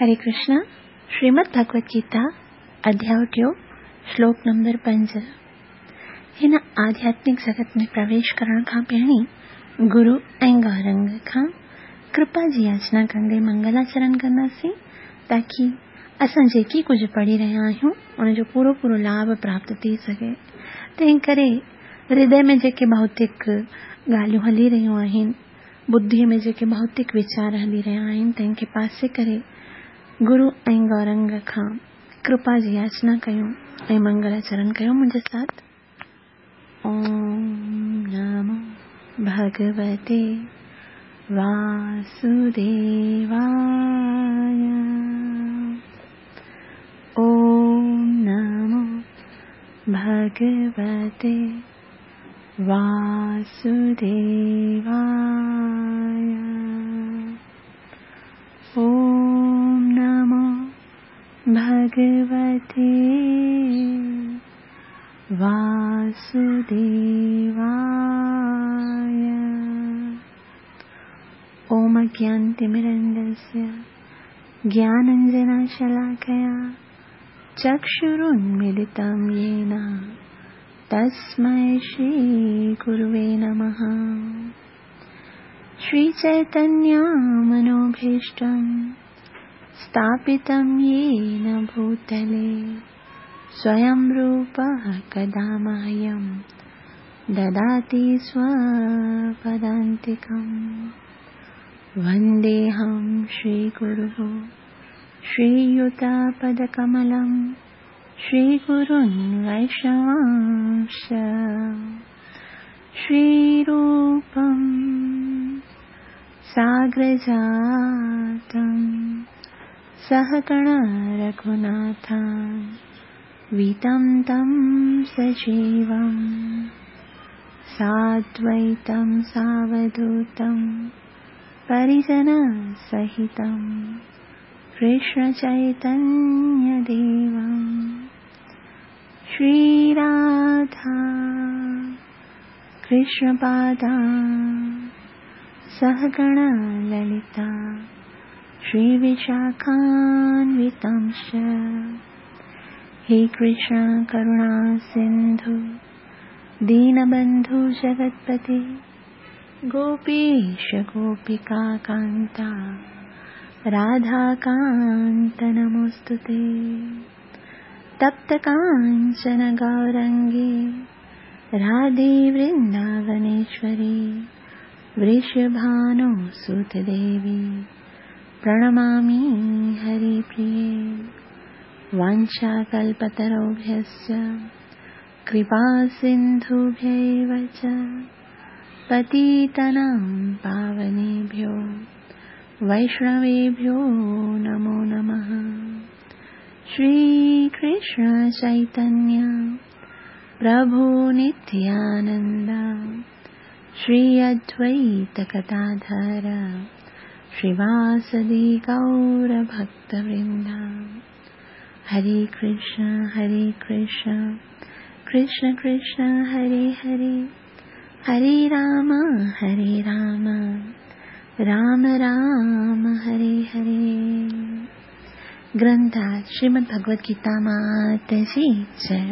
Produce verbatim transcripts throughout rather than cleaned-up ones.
हरे कृष्णा। श्रीमद् भगवत गीता अध्याय टियों श्लोक नंबर पंज। हिन आध्यात्मिक जगत में प्रवेश करण खां पहिरीं गुरु ऐं गौरंग खां कृपा जी याचना कंदे मंगलाचरण कंदासीं ताकी असां जेकी कुझु पढ़ी रहिया आहियूं उनजो पूरो पूरो लाभ प्राप्त थी सघे। तंहिं करे हृदय में जेके भौतिक ॻाल्हियूं हली रहियूं आहिनि, बुद्धि में जेके भौतिक वीचार हली रहिया आहिनि, तंहिंखे पासे करे गुरु ऐं गौरंग खां कृपा जी याचना कयूं ऐं मंगलाचरण कयूं मुंहिंजे साथ। ओम नमो भगवते वासुदेवाय। ओम नमो भगवते वासुदेवाय। ओम नमो भगवते वासुदेवाय। ओम अज्ञानतिमिरन्धस्य ज्ञानाञ्जनशलाकया चक्षुरुन्मीलितं येन तस्मै श्री गुरुवे नमः। श्री चैतन्य मनोभीष्टं स्थापितं येन भूतले स्वयं रूपः कदा मह्यं ददाति स्वपदान्तिकं। वन्देऽहं श्रीगुरुः श्रीयुतपदकमलं श्रीगुरुन् वैष्णवांश्च। श्रीरूपं साग्रजातं सहगण रघुनाथं वितं तं सजीवं साद्वैतं सावधूतं परिजनसहितं कृष्णचैतन्यदेवं। श्रीराधा कृष्णपादा सहगण ललिता श्रीविशाखान्वितांश्च। हे कृष्ण करुणा सिन्धु दीनबन्धु जगत्पते गोपीश गोपिका कान्ता राधाकान्त नमोऽस्तुते। तप्त काञ्चन गौरङ्गे राधे वृन्दावनेश्वरी वृषभानुसुतदेवी प्रणमामि हरिप्रिये। वाञ्छाकल्पतरुभ्यश्च कृपासिन्धुभ्यैव च पतितानां पावनेभ्यो वैष्णवेभ्यो नमो नमः। श्रीकृष्ण चैतन्य प्रभु नित्यानन्द श्री अद्वैत गदाधर श्रीवासदि गौरभक्तवृन्द। हरे कृष्ण हरे कृष्ण कृष्ण कृष्ण हरे हरे, हरे राम हरे राम राम राम हरे हरे। ग्रंथ श्रीमद् भगवत गीता मात जी जय।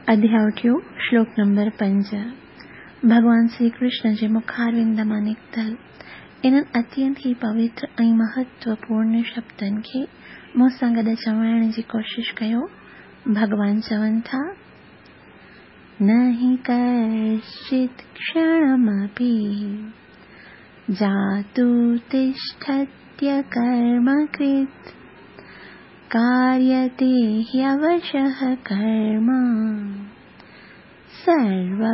अध्याय टियों श्लोक नंबर पंज। भॻवान श्री कृष्ण जे मुखारविंद मां निकितल इन्हनि अत्यंत ई पवित्र ऐं महत्वपूर्ण शब्दनि खे मूं सां गॾु चवाइण जी कोशिश कयो। भॻवान चवनि था, न हि कश्चित् क्षणमपि जातु तिष्ठत्यकर्मकृत् कार्यते ह्यवशः कर्म सर्वप्रकृतिजैर्गुणैः।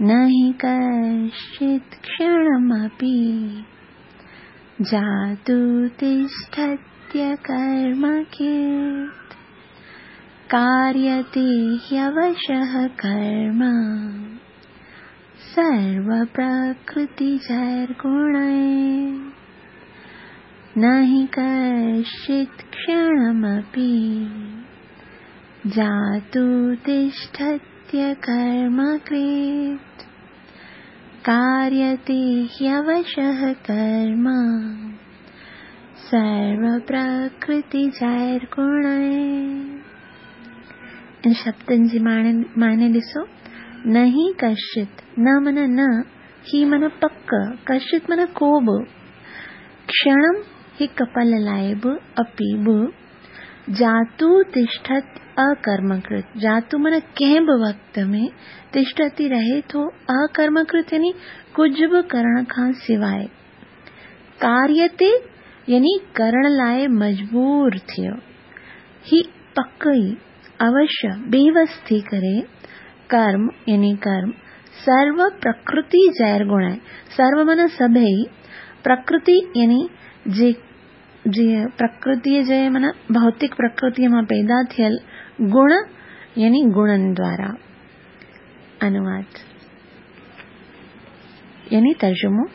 न हि कश्चित् क्षणमपि जातु तिष्ठत्यकर्मकृत् कार्यते ह्यवशः कर्म सर्वप्रकृतिजैर्गुणैः। न हि कश्चित् क्षणमपि जातु तिष्ठत्यकर्मकृत् कार्यते ह्यवशः कर्म सर्वप्रकृतिजैर्गुणैः। इन शब्दनि जी माने ॾिसो, न ही कश्चित्, न माना न, ही माना पक, कश्चित् माना को बि, क्षणं हिकु पल लाइ बि, अपि बि, जातु तिष्ठत अकर्मकृत, जातु माना कंहिं बि वक़्त में, तिष्ठति रहे थो, अकर्मकृत यानी कुझु बि करण खां सवाइ, कार्यते यानी करण लाइ मजबूर थियो, ही पक ई अवश्य बेवस थी करे, कर्म यानी कर्म, सर्व प्रकृति जैर गुण, सर्व माना सभई, प्रकृति यानी जे जीअं प्रकृतीअ जे माना भौतिक प्रकृतीअ मां पैदा थियल गुण यानी गुणनि द्वारा। अनुवाद यानी तर्जुमो,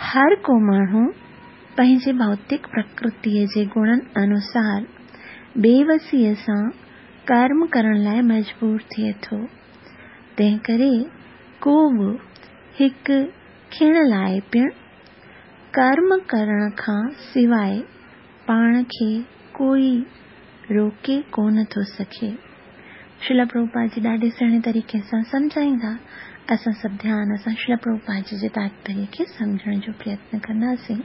हर को माण्हू पंहिंजे भौतिक प्रकृतीअ जे गुणनि अनुसार बेवसीअ सां कर्म करण लाइ मजबूर थिए थो, तंहिं करे को बि हिकु खिण लाइ पिणु कर्म करण खां सवाइ पाण खे कोई रोके कोन थो सघे। श्रील प्रभुपाद जी ॾाढे सुहिणे तरीक़े सां सम्झाईंदा। असां सभु ध्यान सां श्रील प्रभुपाद जी जे तात्पर्य खे सम्झण जो प्रयत्न कंदासीं।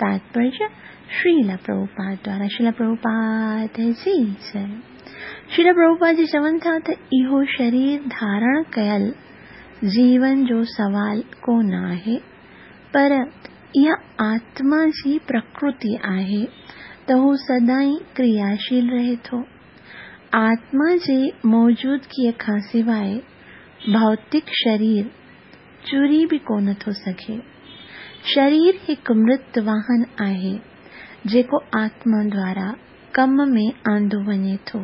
तात्पर्य श्रील प्रभुपाद द्वारा। श्रील प्रभुपाद जी जय। श्रील प्रभुपाद जी चवनि था त इहो शरीर धारण कयल जीवन जो सवाल कोन आहे, पर इहा आत्मा जी प्रकृति आहे त हू सदाईं क्रियाशील रहे थो। आत्मा जे मौजूदगीअ खां सवाइ भौतिक शरीर चुरी बि कोन थो सघे। शरीर हिकु मृत वाहन आहे जेको आत्मा द्वारा कम में आंदो वञे थो,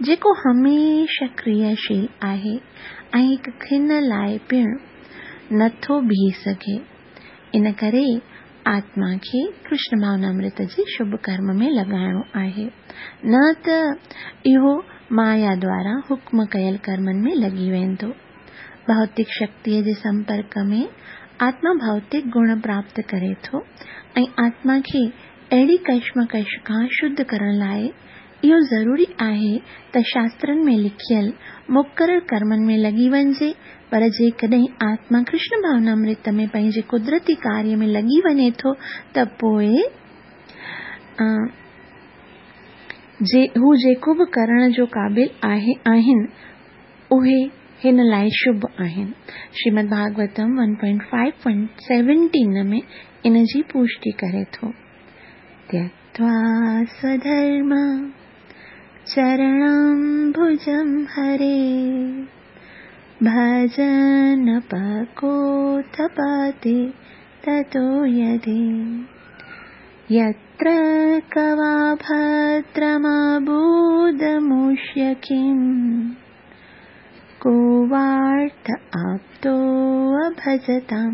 जेको हमेशह क्रियाशील आहे ऐं हिकु खिन लाइ पिणु नथो बीह सघे। इन करे आत्मा खे कृष्ण भावनामृत जे शुभ कर्म में लॻाइणो आहे, न त इहो माया द्वारा हुक्म कयल कर्मनि में लॻी वेंदो। भौतिक शक्तीअ जे संपर्क में आत्मा भौतिक गुण प्राप्त करे थो ऐं आत्मा खे अहिड़ी कशमकश खां शुद्ध करण लाइ इहो ज़रूरी आहे त शास्त्रनि में लिखियल मुक़ररु कर्मनि में लॻी वञिजे, पर जेकॾहिं आत्मा कृष्ण भावनामृत में पंहिंजे कुदरती कार्य में लॻी वञे थो त पोइ जे हू जेको बि करण जो क़ाबिल आहे आहिनि उहे हिन लाइ शुभ आहिनि। Shrimad Bhagavatam one point five point seventeen में इन जी पुष्टि करे थो। त्यक्त्वा स्वधर्म चरणं भुजं हरे भजन पकोथपते ततो यदि यत्र कवा भद्रमबूदमुष्य किं को वार्थ आप्तो अभजतां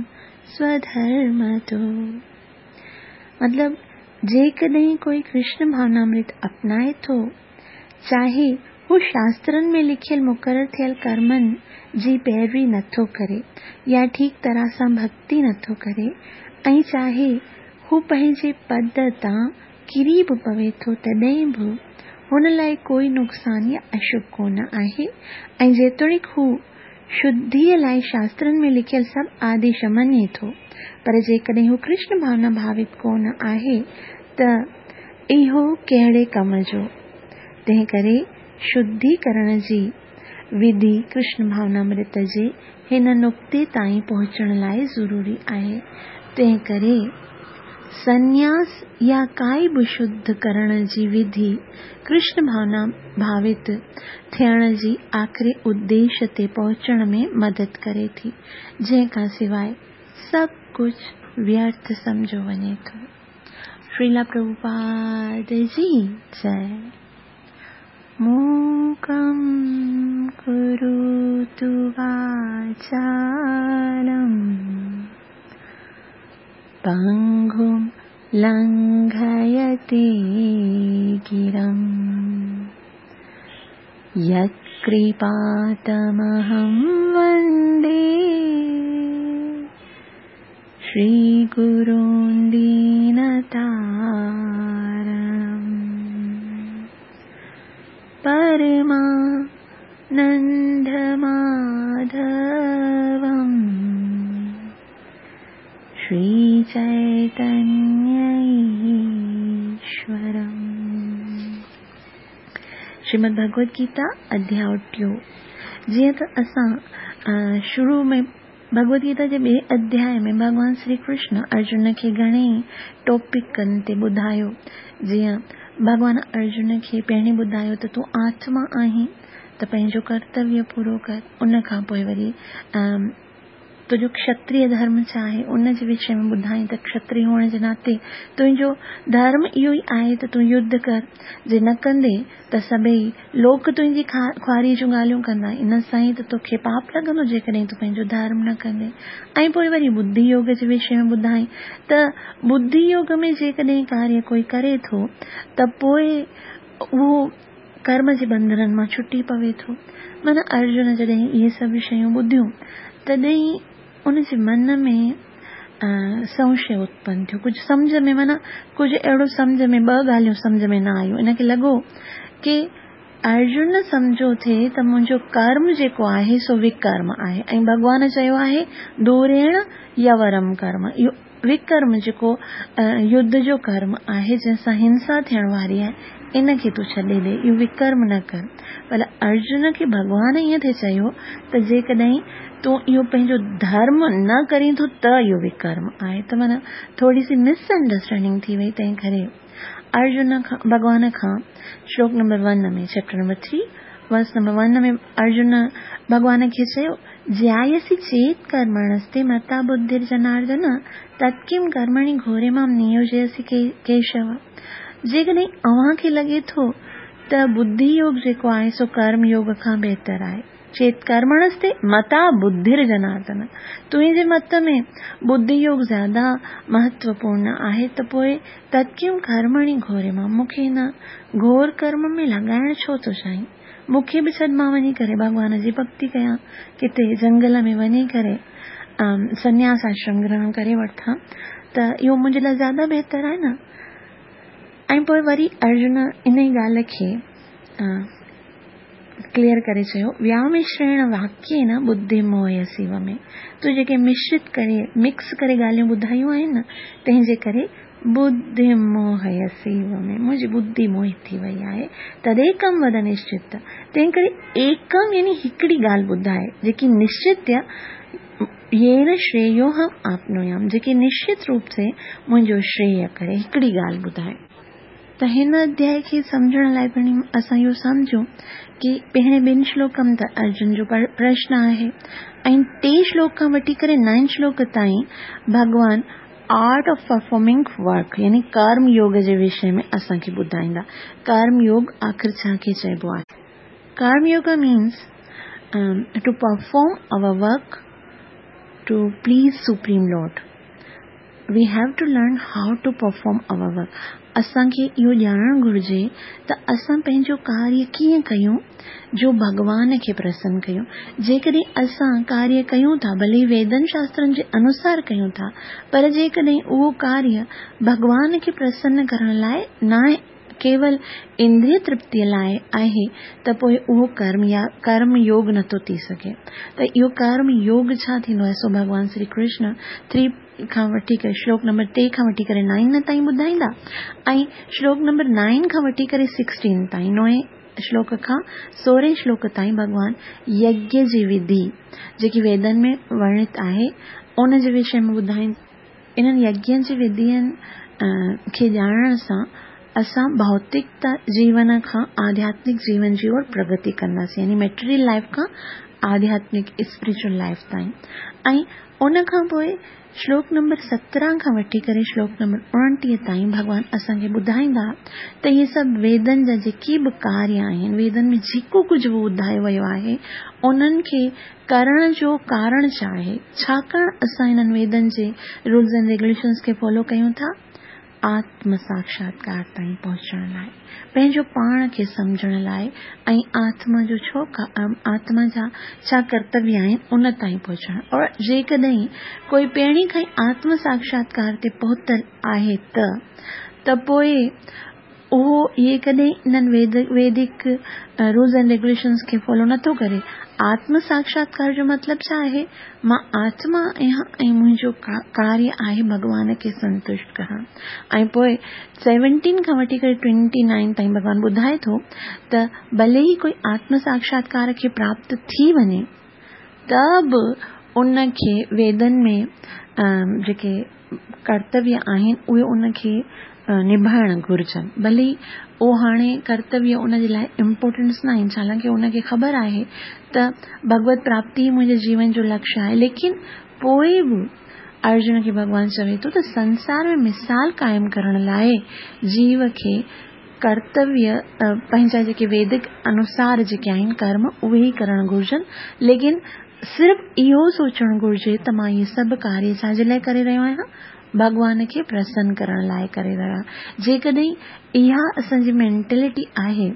स्वधर्मतो। मतलब जेकॾहिं कोई कृष्ण भावनामृत अपनाए थो, चाहे हू शास्त्रनि में लिखियल मुक़ररु थियल कर्मनि जी पैरवी नथो करे या ठीक तरह सां भक्ति नथो करे ऐं चाहे हू पंहिंजे पद तां किरी बि पवे थो, तॾहिं बि हुन लाइ कोई नुक़सानु या अशुभ कोन आहे। ऐं जेतोणीकि हू शुद्धीअ लाइ शास्त्रनि में लिखियल सभु आदेश मञे थो, पर जेकॾहिं हू कृष्ण भावना भावित कोन आहे त इहो कहिड़े कम जो। तंहिं करे शुद्धि करण जी विधि कृष्ण भावनामृत जे हिन नुक़्ते ताईं पहुचण लाइ ज़रूरी आहे। तंहिं करे संन्यास या काई बि शुद्ध करण जी विधि कृष्ण भावना भावित थियण जी आख़िरी उद्देश ते पहुचण में मदद करे थी, जंहिं खां सवाइ सभु कुझु व्यर्थ सम्झो वञे थो। श्रील प्रभुपाद जी जय। मूकं करोतु वाचालं पङ्गुं लङ्घयते गिरं यत्कृपातमहं वन्दे। श्रीगुरून् दीनतारणम् परमानन्दमाधवम् श्रीचैतन्यईश्वरम्। श्रीमद् भगवद गीता अध्याय टियों। जीअं त असां शुरू में भगवद गीता जे ॿिए अध्याय में भॻवान श्री कृष्ण अर्जुन खे घणे ई टॉपिकनि ते ॿुधायो। जीअं भॻवान अर्जुन खे पहिरीं ॿुधायो त तूं आत्मा आहीं त पंहिंजो कर्तव्य पूरो कर। उन खां पोइ वरी तुंहिंजो क्षत्रिय धर्म छा आहे उन जे विषय में ॿुधाई त क्षत्रिय हुअण जे नाते तुंहिंजो धर्म इहो ई आहे त तूं युद्ध कर, जे न कंदे त सभई लोक तुंहिंजी ख़्वारी जूं ॻाल्हियूं कंदा, इन सां ई त तोखे पाप लॻंदो जेकॾहिं तूं पंहिंजो धर्म न कंदे। ऐं पोइ वरी बुद्धि योग जे विषय में ॿुधाई त बुद्धि योग में जेकॾहिं कार्य कोई करे थो त पोइ उहो कर्म जे बंधननि मां छुटी पवे थो। माना अर्जुन जॾहिं इहे सभु शयूं ॿुधियूं तॾहिं उनजे मन में संशय उत्पन्न थियो, कुझु सम्झ में माना कुझु अहिड़ो सम्झ में ॿ ॻाल्हियूं सम्झ में न आयूं। इनखे लॻो की अर्जुन सम्झो थिए त मुंहिंजो कर्म जेको आहे सो विकर्म आहे ऐं भॻवान चयो आहे दूरेण यवरम कर्म। इहो विकर्म जेको युद्ध जो कर्म आहे जंहिंसां हिंसा थियण वारी आहे इनखे तूं छॾे ॾे, इहो विकर्म न कर। पर अर्जुन खे भॻवान ईअं थिए चयो त जेकॾहिं तूं इहो पंहिंजो धर्म न करीं थो त इहो विकर्म आहे। त माना थोरी सी मिसअंडरस्टैंडिंग थी वई। तंहिं करे अर्जुन खां भॻवान खां श्लोक नंबर वन में chapter number three verse number one में अर्जुन भॻवान खे चयो ज्यायसि चेत् कर्मणस्ते मता बुद्धिर्जनार्दन तत्किं कर्मणि घोरे मां नियोजयसि केशव। जेकॾहिं अव्हां खे लॻे थो त बुद्धि योग जेको आहे सो कर्म योग खां बहितर आहे। चेत कर्मणस्ते मता बुद्धिर्जनार्दन, तुंहिंजे मत में बुद्धि योग ज़्यादा महत्वपूर्ण आहे त पोइ तत्किं कर्मणि घोरे मां, मूंखे हिन घोर कर्म में लॻाइण छो थो चाहीं? मूंखे बि छॾ, मां वञी करे भॻवान जी भक्ति कयां, किथे जंगल में वञी करे सन्यास आश्रम ग्रहण करे वठां त इहो मुंहिंजे लाइ ज़्यादा बहितर आहे न। ऐं पोइ वरी अर्जुन इन ई ॻाल्हि खे क्लियर करे चयो व्यामिश्रेण वाक्येन बुद्धि मोहयसीव में, तूं जेके मिश्रित करे मिक्स करे ॻाल्हियूं ॿुधायूं आहिनि न तंहिंजे करे बुद्धि मोहयसीव में मुंहिंजी बुद्धि मोहित थी वई आहे। तदेकम वद निश्चित, तंहिं करे एकम यानी हिकिड़ी ॻाल्हि ॿुधाए जेकी निश्चित येन श्रेयोहम आपनोयाम, जेकी निश्चित रूप से मुंहिंजो श्रेय करे, हिकिड़ी ॻाल्हि ॿुधाए। त हिन अध्याय खे सम्झण लाइ पिणु असां इहो सम्झूं की पहिरें ॿिनि श्लोकनि त अर्जुन जो प्रश्न आहे ऐं टे श्लोक खां वठी करे नाइन श्लोक ताईं भॻवान आर्ट ऑफ परफॉर्मिंग वर्क यानी कर्म योग जे विषय में असांखे ॿुधाईंदा। कर्म योग आख़िर छा खे चइबो आहे? कर्म योग means to perform our work to please supreme lord. We have to learn how to perform our work. असांखे इहो ॼाणणु घुर्जे त असां पंहिंजो कार्य कीअं कयूं जो भॻवान खे प्रसन्न कयूं। जेकॾहिं असां कार्य कयूं था, भले वेदन शास्त्रनि जे अनुसार कयूं था, पर जेकॾहिं उहो कार्य भॻवान खे प्रसन्न करण लाइ न आहे, केवल इंद्रिय तृप्तीअ लाइ आहे, त पोइ उहो कर्म या कर्म योग नथो थी सघे। त इहो कर्म योग छा थींदो आहे सो भॻवान श्री कृष्ण थ्री खां वठी करे श्लोक नंबर टे खां वठी करे नाइन ताईं ॿुधाईंदा ऐं श्लोक नंबर नाइन खां वठी करे सिक्सटीन ताईं, नवे श्लोक खां सोरहें श्लोक ताईं भॻवान यज्ञ जी विधि जेकी वेदनि में वर्णित आहे उन जे विषय में ॿुधाईंदा। इन्हनि यज्ञ जी विधियुनि खे ॼाणण सां असां भौतिकता जीवन खां आध्यात्मिक जीवन जी ओर प्रगति कंदासीं, यानी मटीरियल लाइफ खां आध्यात्मिक स्पिरिचुअल लाइफ ताईं। ऐं उन खां पोइ श्लोक नंबर सत्रहं खां वठी करे श्लोक नंबर उणिटीह ताईं भॻवान असांखे ॿुधाईंदा त इहे सभु वेदनि जा जेके बि कार्य आहिनि, वेदनि में जेको कुझु बि ॿुधायो वियो आहे उन्हनि खे करण जो कारण छा आहे, छाकाणि असां हिननि वेदनि जे रूल्स एंड रेगुलेशंस खे फॉलो कयूं था, آتم ساڪشاتڪار تائين پهچڻ لاءِ، پنهنجو پاڻ کي سمجهڻ لاءِ ۽ آتما جو ڇو آتما جا ڇا ڪرتويه آهن ان تائين پهچڻ. اور جيڪڏهن ڪوئي پهرين کان ئي آتم ساڪشاتڪار تي پهتل آهي ته ته پوءِ اهو جيڪڏهن انهن ويدڪ رولز اينڊ ريگيوليشنز کي فالو نٿو ڪري. آتم ساڪشاتڪار جو مطلب ڇا آهي؟ مان آتما آهيان ۽ منهنجو ڪاريه آهي ڀڳوان کي سنتشٽ ڪرڻ. ۽ پوءِ سيونٽين کان وٺي ڪري ٽوئنٽي نائن تائين ڀڳوان ٻڌائي ٿو ته ڀلي ئي ڪوئي آتم ساڪشاتڪار کي پراپت ٿي وڃي ته به ان کي ويدن ۾ جيڪي ڪرتويه آهن اهي ان کي نڀائڻ گهرجن. ڀلي اهو هاڻي ڪرتويه ان جي لاءِ امپورٽنس نه آهن، ڇالاءِ ان کي خبر آهي ته ڀڳوت پراپتي منهنجي جيون جو لڪشيه آهي، ليڪن پوءِ به ارجن کي ڀڳوان چوي ٿو ته سنسار ۾ مثال قائم ڪرڻ لاءِ جيو کي ڪرتويه پنهنجا جيڪي ويدڪ انوسار جيڪي آهن ڪرم اهي ئي ڪرڻ گهرجن، ليڪن صرف اهو سوچڻ گهرجي ته مان اهي سڀ ڪاريه ڇا جي لاءِ ڪري رهيو آهيان؟ ڀڳوان کي پرسن ڪرڻ لاءِ ڪري رهيو آهيان. جيڪڏهن اها اسان جي مينٽلٽي آهي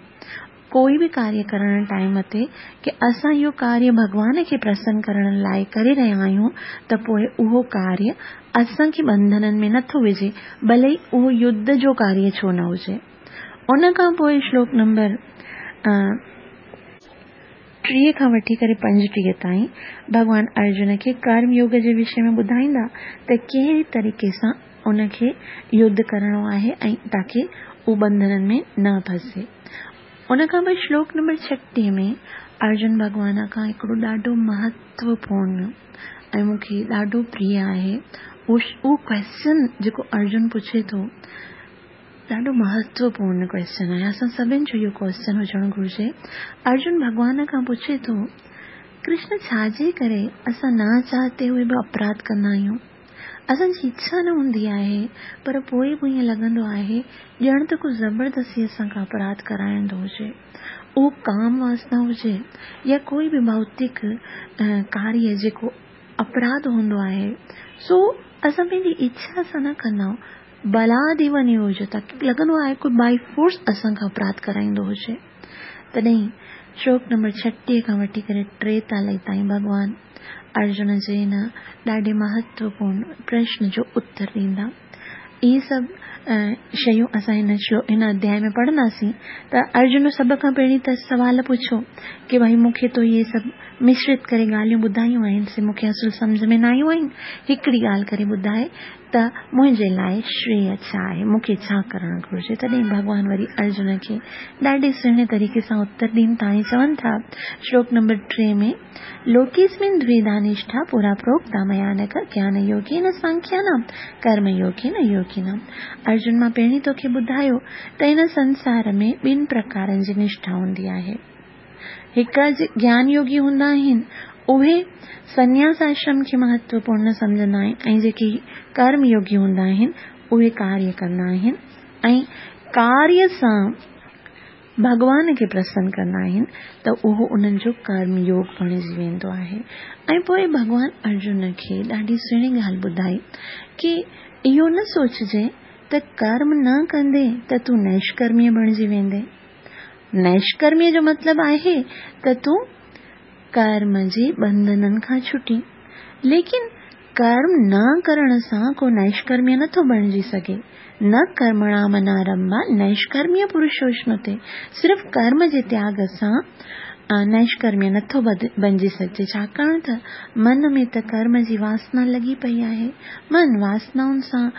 ڪوئي به ڪاريه ڪرڻ ٽائيم تي ڪه اسان اهو ڪاريه ڀڳوان کي پرسن ڪرڻ لاءِ ڪري رهيا آهيون ته پوءِ اهو ڪاريه اسان کي ٻنڌنن ۾ نٿو وجهي، ڀلي ئي اهو يڌ جو ڪاريه ڇو نه هجي. ان کان پوءِ شلوڪ نمبر ٽيهه کان وٺي ڪري پنجٽيهه تائين ڀڳوان ارجن کي ڪرم يوگ جي وشي ۾ ٻڌائيندا ته ڪهڙي طريقي سان ان کي يڌ ڪرڻو آهي ۽ تاڪه اهو ٻنڌنن ۾ نه ڦسي. ان کان پوءِ شلوڪ نمبر ڇٽيهه ۾ ارجن ڀڳوان کان هڪڙو ڏاڍو مهتوپورڻ ۽ مون کي ڏاڍو پريه آهي اهو ڪوئسچن جيڪو ارجن پڇي ٿو، ڏاڍو مهتوپورڻ ڪوئسچن آهي. اسان سڀني جو اهو ڪوئسچن هجڻ گهرجي. ارجن ڀڳوان کان پڇي ٿو، ڪرشن ڇا جي ڪري اسان نه چاهتي هئي به اپراڌ ڪندا آهيون؟ اسان جي اڇا نه هوندي آهي پر پوءِ به ائين لڳندو آهي ڄڻ ته ڪو زبردستي اسان کان اپراڌ ڪرائيندو هجي. اهو ڪام واسنا هجي يا ڪوئي به ڀوتڪ ڪاريه جيڪو اپراڌ هوندو آهي، سو اسان پنهنجي اڇا سان نه ڪندا آهيون، بلاديو نيوجتا لڳندو آهي ڪوئي باءِ فورس اسان کان اپراڌ ڪرائيندو هجي. تڏهن شلوڪ نمبر ڇٽيهه کان وٺي ڪري ٽيتاليهه تائين ڀڳوان ارجن جي هن ڏاڍي مهتوپورڻ پرشن جو اتر ڏيندا. اهي سڀ شيون اسان هن شلوڪ هن اڌياءِ ۾ پڙهنداسين. ته ارجن سڀ کان پهرين ته سوال پڇيو ڪه ڀائي مون کي ته اهي سڀ مشرت ڪري ڳالهيون ٻڌايون آهن، سي مون کي اصل سمجهه ۾ نه آيون آهن، هڪڙي ڳالهه ڪري ٻڌائي ته منهنجي لاءِ شريه ڇا آهي، مون کي ڇا ڪرڻ گهرجي. تڏهن ڀڳوان وري ارجن کي ڏاڍي سهڻي طريقي سان اتر ڏين ٿا ۽ چون ٿا شلوڪ نمبر ٽي ۾، لوڪيسمن دويڌا نشٺا پورا پروڪتا ميا نک گيان يوگين سانکيانام ڪرم يوگين يوگينام. ارجن مان پهرين توکي ٻڌايو ته هن سنسار ۾ ٻن پرڪارن جي نشٺا هوندي آهي. هڪ گيان يوگي هوندا آهن، اهي سنياس آشرم کي مهتوپورڻ سمجهندا آهن ۽ جيڪي ڪرم يوگي هوندا آهن اهي ڪاريه ڪندا آهن ۽ ڪاريه سان ڀڳوان کي پرسن ڪندا آهن ته اهو انهن جو ڪرم يوگ بڻجي ويندو آهي. ۽ پوءِ ڀڳوان ارجن کي ڏاڍي سهڻي ڳالهه ٻڌائي ڪه اهو نه سوچجي ته ڪرم نه ڪندي ته تون نشڪرميه بڻجي ويندي. نشڪرميه جو مطلب آهي ته تون ڪرم جي ٻنڌنن کان ڇٽي، ليڪن ڪرم نه ڪرڻ سان ڪو نشڪرميه نٿو بڻجي سگهي. نه ڪرمڻام نارمڀا نشڪرميه پرشوشنتي، صرف ڪرم جي تياڳ سان نشڪرميه نٿو بڻجي سگهجي، ڇاڪاڻ ته من ۾ ته ڪرم جي واسنا لڳي پئي آهي، من واسنائن سان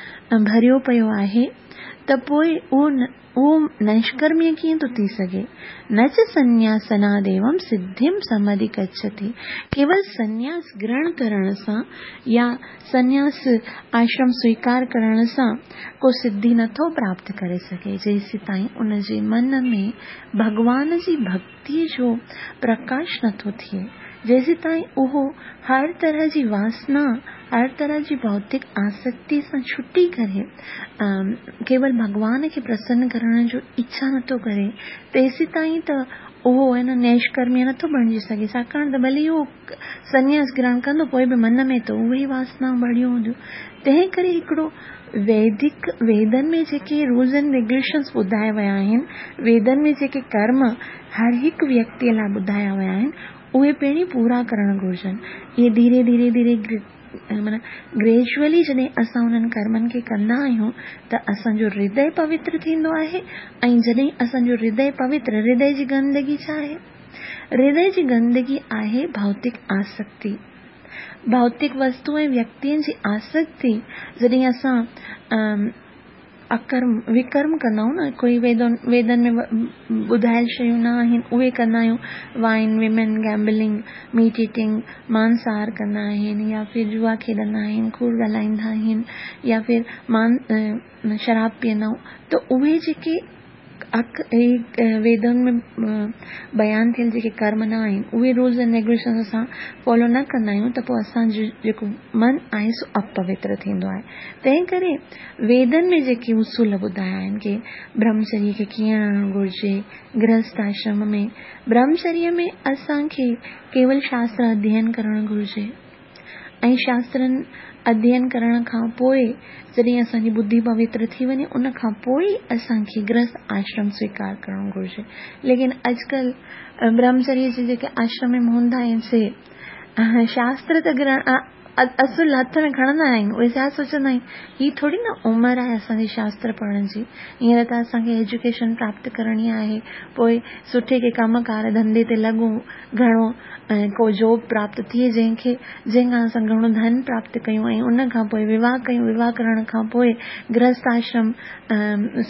ڀريو پيو آهي، ته پوءِ اهو اهو نشڪرميه ڪيئن ٿو ٿي سگهي؟ نه چ سنياسناديوم سڌيم سمڌگڇتي، ڪيول سنياس گرهڻ ڪرڻ سان يا سنياس آشرم سويڪار ڪرڻ سان ڪو سڌي نٿو پراپت ڪري سگهي، جيسين تائين ان جي من ۾ ڀڳوان جي ڀڪتيءَ جو پرڪاش نٿو ٿئي، جيسيتائين اهو هر طرح جي واسنا، هر طرح جي ڀوتڪ آسڪتي سان ڇٽي ڪري ڪيول ڀڳوان کي پرسن ڪرڻ جو اڇا نٿو ڪري، تيسيتائين ته اهو آهي نه نيشڪرميه نٿو بڻجي سگهي. ڇاڪاڻ ته ڀلي اهو سنياس گرهڻ ڪندو، پوءِ به من ۾ ته اهي ئي واسنائون ڀريون هونديون. تنهن ڪري هڪڙو ويدڪ، ويدن ۾ جيڪي رولز اينڊ ريگيوليشنس ٻڌايا ويا آهن، ويدن ۾ جيڪي ڪرم هر هڪ ويڪتيءَ لاءِ ٻڌايا ويا آهن، اهي پهرين پورا ڪرڻ گهرجن. اهي ڌيري ڌيري ڌيري معنيٰ گريجوئلي جڏهن اسان انهن ڪرمن کي ڪندا آهيون ته اسان جو هردي پوتر ٿيندو آهي. ۽ جڏهن اسان جو هردي پوتر، هردي جي گندگي ڇا آهي؟ هردي جي گندگي آهي ڀوتڪ آسڪتي، ڀوتڪ وستو ۽ ويڪتين جي آسڪتي. جڏهن اسان اڪرم وڪرم ڪندا آهيون نه، ڪوئي ويدن ويدن ۾ ٻڌايل شيون نه آهن اهي ڪندا آهيون، wine, women, gambling, meat eating, مانساهار ڪندا آهن، يا ڦر جوا کيڏندا آهن، ڪوڙ ڳالهائيندا آهن، يا ڦر مان شراب پيئندا آهيون، ته اهي جيڪي ويدن ۾ بيان ٿيل جيڪي ڪرم نه آهن، اهي رولز اينڊ ريگيوليشن اسان فالو نه ڪندا آهيون ته پوءِ اسان جو جيڪو من آهي سو اپوتر ٿيندو آهي. تنهن ڪري ويدن ۾ جيڪي اصول ٻڌايا آهن ڪه برهمچريه کي ڪيئن رهڻ گهرجي، گرهست آشرم ۾ برهمچريه ۾ اسان کي ڪيول شاستر اڌيين ڪرڻ گهرجي، ۽ شاسترن اڌيين ڪرڻ کان پوءِ جڏهن اسان جي ٻڌي پوتر ٿي وڃي، ان کان پوءِ اسان کي گرهست آشرم سويڪار ڪرڻ گهرجي. ليڪن اڄڪلهه برهمچريه جي جيڪي آشرم ۾ هوندا آهن سي شاستر ته گرهڻ اصل هٿ ۾ کڻندا آهن، اهي ڇا سوچندا آهن، هي ٿوري نه عمر آهي اسان جي شاستر پڙهڻ جي، هينئر ته اسان کي ايجوڪيشن پراپت ڪرڻي آهي، پوءِ سٺي ڪي ڪم ڪار ڌنڌي تي لڳون، گهڻو ڪو جاب پراپت ٿئي جنهن کي جنهن کان اسان گهڻو ڌن پراپت ڪيون، ۽ ان کان پوءِ وواهه ڪيون، وواهه ڪرڻ کان پوءِ گرهست آشرم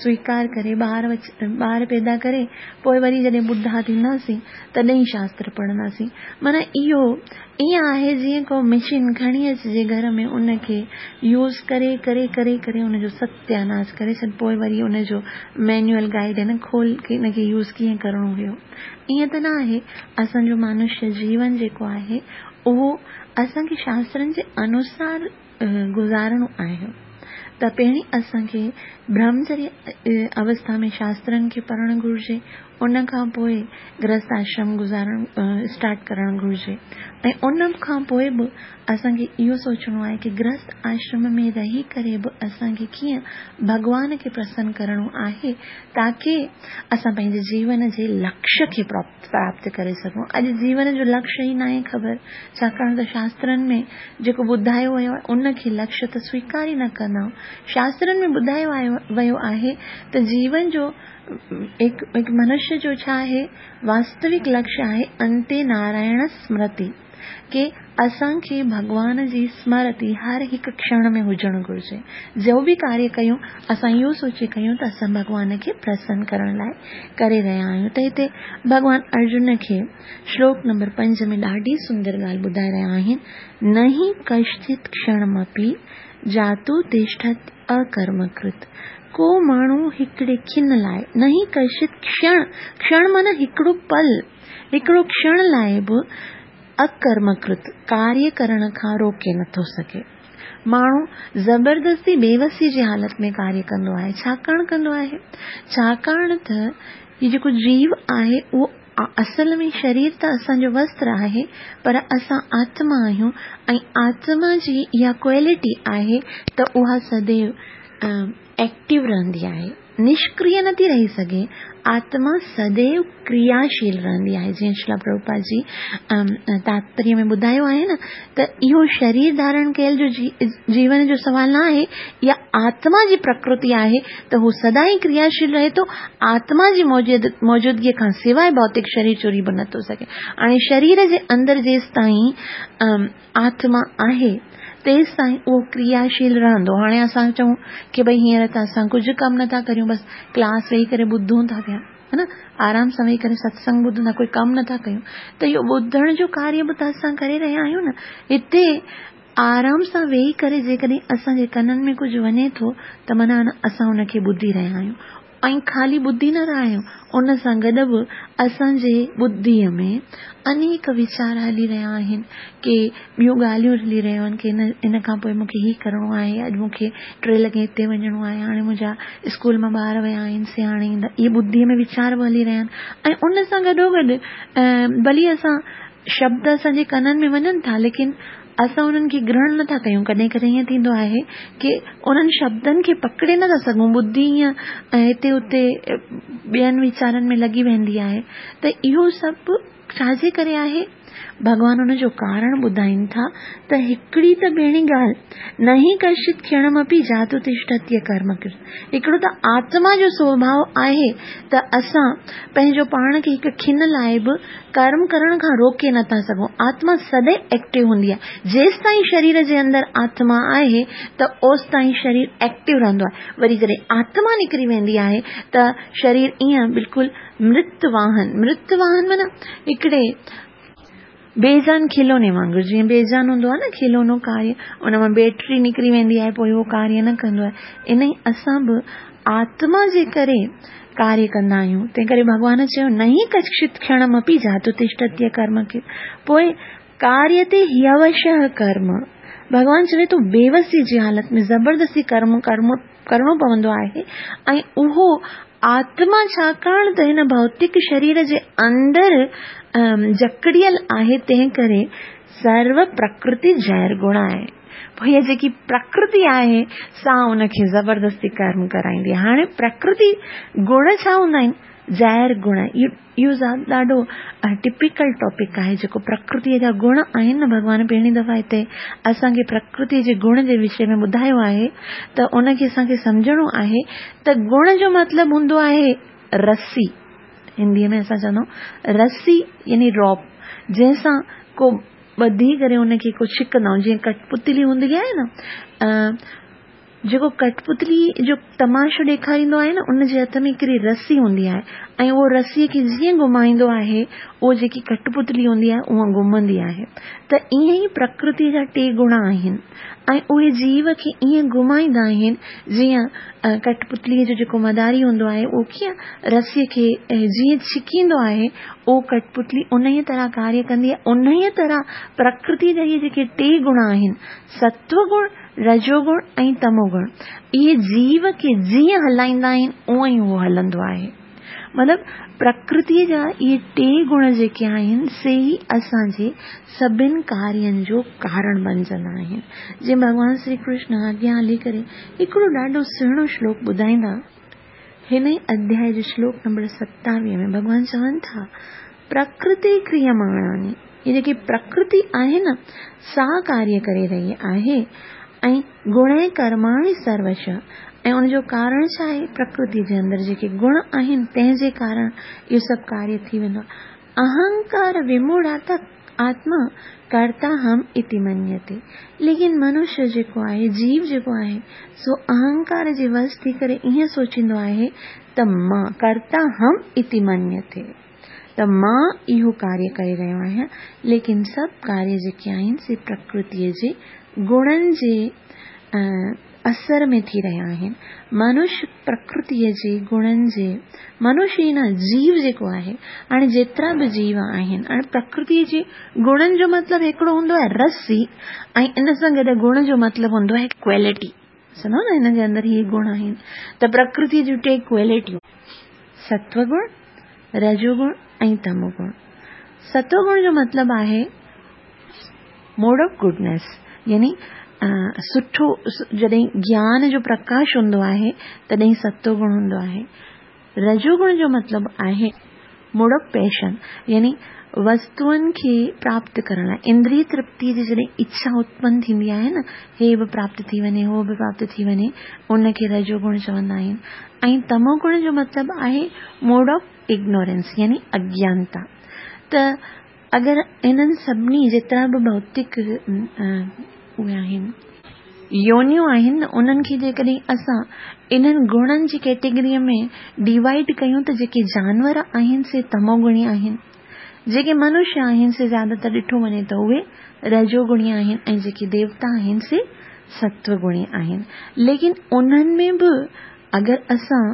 سويڪار ڪري ٻار ٻار پيدا ڪري پوءِ وري جڏهن ٻڍا ٿينداسين تڏهن شاستر پڙهنداسين. معنيٰ اهو ائين آهي جيئن ڪو مشين کڻي اچجي گهر ۾، ان کي يوز ڪري ڪري ڪري ڪري ان جو ستياناش ڪري ڇڏ، پوءِ وري ان جو مينوئل گائيڊ آهي نه کول ڪه ان کي يوز ڪيئن ڪرڻو هيو. ائين ته نه آهي. اسان جو منشيه جيون جيڪو آهي اهو اسان کي شاسترن جي انوسار گذارڻو آهي. ته پهرين اسان کي برهمچريه اوسٿا ۾ شاسترن کي پڙهڻ گهرجي، ان کان پوءِ گرهست آشرم گذارڻ اسٽارٽ ڪرڻ گهرجي، ۽ ان کان پوءِ به اسان کي اهو سوچڻو آهي ڪه گرهست آشرم ۾ رهي ڪري به اسان کي ڪيئن ڀڳوان کي پرسن ڪرڻو آهي، تاڪه اسان پنهنجي جيون جي لڪشيه کي پراپت ڪري سگهون. اڄ جيون جو لڪشيه ئي ناهي خبر، ڇاڪاڻ ته شاسترن ۾ جيڪو ٻڌايو ويو آهي ان کي لڪشيه ته سويڪار ئي نه ڪندا آهيون. شاسترن ۾ ٻڌايو ويو آهي ته جيون جو هڪ هڪ منشيه جو ڇا آهي واستوڪ لڪشيه آهي انتي نارائڻ سمرتي، ڪه اسان کي ڀڳوان جي سمرتي هر هڪ ڪشڻ ۾ هجڻ گهرجي. جو به ڪاريه ڪيون اسان اهو سوچي ڪيون ته اسان ڀڳوان کي پرسن ڪرڻ لاءِ ڪري رهيا آهيون. ته هتي ڀڳوان ارجن کي شلوڪ نمبر پنج ۾ ڏاڍي سندر ڳالهه ٻڌائي رهيا آهن، نه هي ڪشچت ڪشڻمپي جاتو تشٺت اڪرمڪرت. ڪو ماڻهو هڪڙي کن لاءِ، نه هي ڪشچت ڪشڻ، ڪشڻ معنيٰ هڪڙو پل، هڪڙو ڪشڻ لاءِ به اڪرمڪرت ڪاريه ڪرڻ کان روڪي نٿو سگهي. ماڻهو زبردستي بيوسي جي حالت ۾ ڪاريه ڪندو آهي. ڇاڪاڻ ڪندو آهي؟ ڇاڪاڻ ته هي جيڪو جيو آهي اهو اصل ۾ شرير ته اسان جو وستر آهي، پر اسان آتما آهيون، ۽ آتما جي اها ڪوالٽي آهي ته اها سديو ايڪٽو رهندي آهي، نشڪريه نٿي رهي سگهي. آتما سديو ڪرياشيل رهندي آهي. جيئن شريلا پرڀوپاد جي تاتپريه ۾ ٻڌايو آهي نه ته اهو شرير ڌارڻ ڪيل جو جيون جو سوال نه آهي، اها آتما جي پرڪرتي آهي ته هو سدائين ڪرياشيل رهي ٿو. آتما جي موجودگيءَ کان سواءِ ڀوتڪ شرير چري به نٿو سگهي. هاڻي شرير جي اندر جيستائين آتما آهي تيستائين اهو ڪرياشيل رهندو. هاڻي اسان چئون ڪه ڀئي هينئر ته اسان ڪجهه ڪم نٿا ڪريون، بس ڪلاس ويهي ڪري ٻڌون ٿا پيا، ها نه، آرام سان ويهي ڪري ستسنگ ٻڌون ٿا، ڪوئي ڪم نٿا ڪيون، ته اهو ٻڌڻ جو ڪاريه به ته اسان ڪري رهيا آهيون نه. هتي آرام سان ويهي ڪري جيڪڏهن اسان جي ڪنن ۾ ڪجهه وڃي ٿو ته معنيٰ اسان ان کي ٻڌي رهيا آهيون. ۽ خالي ٻڌي نه رهيا آهيون، ان سان گڏ به اسان جي ٻڌيء ۾ انيڪ ويچار هلي رهيا آهن، ڪي ٻيون ڳالهيون هلي رهيون آهن ڪي ان کان پوءِ مون کي هي ڪرڻو آهي، اڄ مون کي ٽي لڳي هتي وڃڻو آهي، هاڻي منهنجا اسڪول مان ٻار ويا آهن سي هاڻي ايندا، اهي ٻڌيء ۾ ويچار به هلي رهيا آهن. ۽ ان سان گڏوگڏ ڀلي اسان شبد اسان جي ڪنن ۾ وڃن ٿا، ليڪن اسان انهن کي گرهڻ نٿا ڪيون. ڪڏهن ڪڏهن ائين ٿيندو آهي ڪي انهن شبدن کي پڪڙي نٿا سگهون، ٻڌي ائين هتي هتي ٻين ويچارن ۾ لڳي ويندي آهي. ته اهو سڀ ڇا جي ڪري آهي؟ ڀڳوان ان جو ڪارڻ ٻڌائين ٿا ته هڪڙي ته پهرين ڳالهه، نهي ڪشچت کيڻمپي جاتو تشٺتي ڪرم ڪرت، هڪڙو ته آتما جو سوڀاءُ آهي ته اسان پنهنجو پاڻ کي هڪ کن لاءِ به ڪرم ڪرڻ کان روڪي نٿا سگهون. آتما سدائين ايڪٽو هوندي آهي. جيستائين شرير جي اندر آتما آهي ته اوستائين شرير ايڪٽو رهندو آهي. وري جڏهن آتما نڪري ويندي آهي ته شرير ائين بلڪل مرت واهن، مرت واهن معنيٰ هڪڙي بيجان کلوني وانگر، جيئن بيجان هوندو آهي نه کلونو ڪاريه، ان مان بيٽري نڪري ويندي آهي پوءِ اهو ڪاريه نه ڪندو آهي. ان ئي اسان به آتما جي ڪري ڪاريه ڪندا آهيون. تنهن ڪري ڀڳوان چيو نهي ڪشچت کيڻمپي جاتو تشٺتي ڪرم کي، پوءِ ڪاريه تي هيوشः ڪرم. ڀڳوان چوي ٿو بيوسي جي حالت ۾ زبردستي ڪرم ڪرم ڪرڻو پوندو آهي. ۽ اهو آتما ڇاڪاڻ ته هن ڀوتڪ شرير جي اندر جڪڙيل آهي، تنهن ڪري سرو پرڪرتي جير گڻ آهي. پوءِ هيءَ جيڪي پرڪرتي آهي سا ان کي زبردستي ڪرم ڪرائيندي آهي. هاڻي پرڪرتي گڻ ڇا هوندا آهن؟ جير گڻ. اهو ڏاڍو ٽپيڪل ٽاپڪ آهي جيڪو پرڪرتيءَ جا گڻ آهن نه. ڀڳوان پهرين دفعا هتي اسان کي پرڪرتيءَ جي گڻ جي وشي ۾ ٻڌايو آهي ته ان کي اسان کي سمجهڻو آهي ته گڻ جو مطلب هوندو آهي رسي. هنديءَ ۾ اسان چوندا آهيون رسي يعني روپ، جنهن سان ڪو ٻڌي ڪري ان کي ڪو ڇڪندا آهيون. جيئن ڪٺپتلي هوندي آهي نه، جيڪو ڪٺپتلي جو تماشو ڏيکاريندو آهي نه، ان جي هٿ ۾ هڪڙي رسي هوندي آهي ۽ اهو رسيءَ کي جيئن گهمائيندو آهي اهو جيڪي ڪٺپتلي هوندي آهي اها گهمندي آهي. ته ائين ئي پرڪرتيءَ جا ٽي گڻ آهن ۽ اهي جيو کي ائين گهمائيندا آهن جيئن ڪٺپتليءَ جو جيڪو مداري هوندو آهي اهو ڪيئن رسيءَ کي جيئن ڇڪيندو آهي، اهو ڪٺپتلي ان ئي طرح ڪاريه ڪندي آهي. ان ئي طرح پرڪرتيءَ جا اهي جيڪي ٽي گڻ آهن، ستوگڻ، رجوگڻ ۽ تموگڻ، اهي جيو کي جيئن هلائيندا آهن اونئن ئي اهو هلندو آهي. مطلب پرڪرتيءَ جا اهي ٽي گڻ جيڪي آهن سي ئي اسان جي سڀني ڪارين جو ڪارڻ بڻجندا آهن. جيئن ڀڳوان شري ڪرشن اڳيان هلي ڪري هڪڙو ڏاڍو سهڻو شلوڪ ٻڌائيندا، هن ئي اڌياءِ جو شلوڪ نمبر ستاويهه ۾ ڀڳوان چون ٿا پرڪرتي ڪريماڻاني، اهي جيڪي پرڪرتي آهي نه سا ڪاريه ڪري رهي آهي ۽ گڻ ڪرماڻي سروش، ۽ ان جو ڪارڻ ڇا آهي؟ پرڪرتي جي اندر جيڪي گڻ آهن تنهن جي ڪارڻ اهو سڀ ڪاريه ٿي ويندو آهي. اهنڪار وموڙاتا آتما ڪرتا هم اتي منيتي، ليڪن منشيه جيڪو آهي، جيو جيڪو آهي، سو اهنڪار جي وش ٿي ڪري ائين سوچيندو آهي ته مان ڪرتا هم اتي منيتي، ته مان اهو ڪاريه ڪري رهيو آهيان، ليڪن سڀ ڪاريه جيڪي آهن سي پرڪرتيءَ جي گڻن جي اثر ۾ ٿي رهيا آهن. منشيه پرڪرتيءَ جي گڻن جي، منشيه ئي نه جيو جيڪو آهي، هاڻي جيترا به جيو آهن، هاڻي پرڪرتيءَ جي گڻن جو مطلب هڪڙو هوندو آهي رسي ۽ ان سان گڏ گڻ جو مطلب هوندو آهي ڪوالٽي. سمجهو نه، هن جي اندر اهي گڻ آهن. ته پرڪرتيءَ جون ٽي ڪوالٽيون، ستوگڻ، رجوگڻ ۽ تموگڻ. ستوگڻ جو مطلب آهي موڊ آف گڊنيس، يعني سٺو، جڏهن گيان جو پرڪاش هوندو آهي تڏهن ستوگڻ هوندو آهي. رجوگڻ جو مطلب آهي موڊ آف پيشن، يعني وستوئن کي پراپت ڪرڻ لاءِ اندريه ترپتيءَ جي جڏهن اڇا اتپن ٿيندي آهي نه، هي به پراپت ٿي وڃي هو به پراپت ٿي وڃي، ان کي رجوگڻ چوندا آهن. ۽ تموگڻ جو مطلب آهي موڊ آف اگنورنس، يعني اگيانتا. ته اگر هنن سڀني جيترا به ڀوتڪ اهي آهن، يونيون آهن، انهن کي جيڪڏهن اسان انهن گڻن جي ڪيٽيگريءَ ۾ ڊوائيڊ ڪيون ته جيڪي جانور آهن سي تموگڻي آهن، جيڪي منشيه آهن سي زياده تر ڏٺو وڃي ته اهي رجوگڻي آهن، ۽ جيڪي ديوتا آهن سي ستوگڻي آهن. ليڪن انهن ۾ به اگر اسان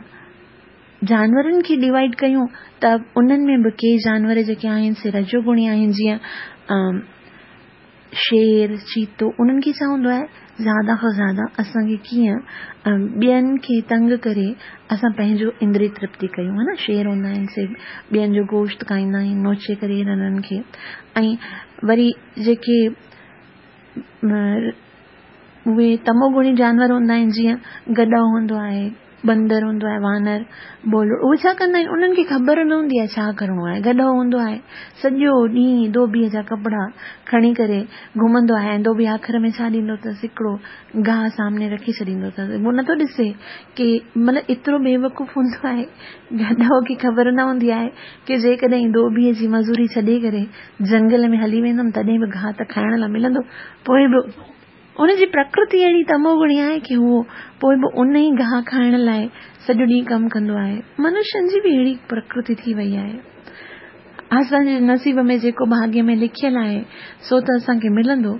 जानवरनि खे डिवाइड कयूं त उन्हनि में बि के जानवर जेके आहिनि से रजोगुणी आहिनि, जीअं शेर, चीतो, उन्हनि खे छा हूंदो आहे, ज़्यादा खां ज़्यादा असांखे कीअं ॿियनि खे तंग करे असां पंहिंजो इंद्रिय तृप्ति कयूं, हा न। शेर हूंदा आहिनि से ॿियनि जो गोश्त खाईंदा आहिनि, नोचे करे उन्हनि खे। ऐं वरी जेके उहे तमोगुणी जानवर हूंदा आहिनि, जीअं गॾो हूंदो आहे, बंदर हूंदो आहे, वानर, बोलो, उहे छा कंदा आहिनि, उन्हनि खे ख़बर न हूंदी आहे छा करिणो आहे। गॾो हूंदो आहे, सॼो ॾींहुं धोबीअ जा कपिड़ा खणी करे घुमंदो आहे, ऐं धोबी आख़िर में छा ॾींदो अथसि, हिकिड़ो घाह सामने रखी छॾींदो अथसि। उहो नथो ॾिसे की मतिलबु एतिरो बेवकूफ़ हूंदो आहे गॾो खे ख़बर न हूंदी आहे की जेकॾहिं धोबीअ जी मज़ूरी छॾे करे जंगल में हली वेंदुमि तॾहिं बि घाह त खाइण लाइ मिलंदो। पोइ बि उनजी प्रकृति अहिड़ी तमोगुणी आहे की उहो पोइ बि उन ई घाह खाइण लाइ सॼो ॾींहुं कमु कंदो आहे। मनुष्यनि जी बि अहिड़ी प्रकृति थी वई आहे। असांजे नसीब में जेको भाग्य में लिखियलु आहे सो त असांखे मिलंदो,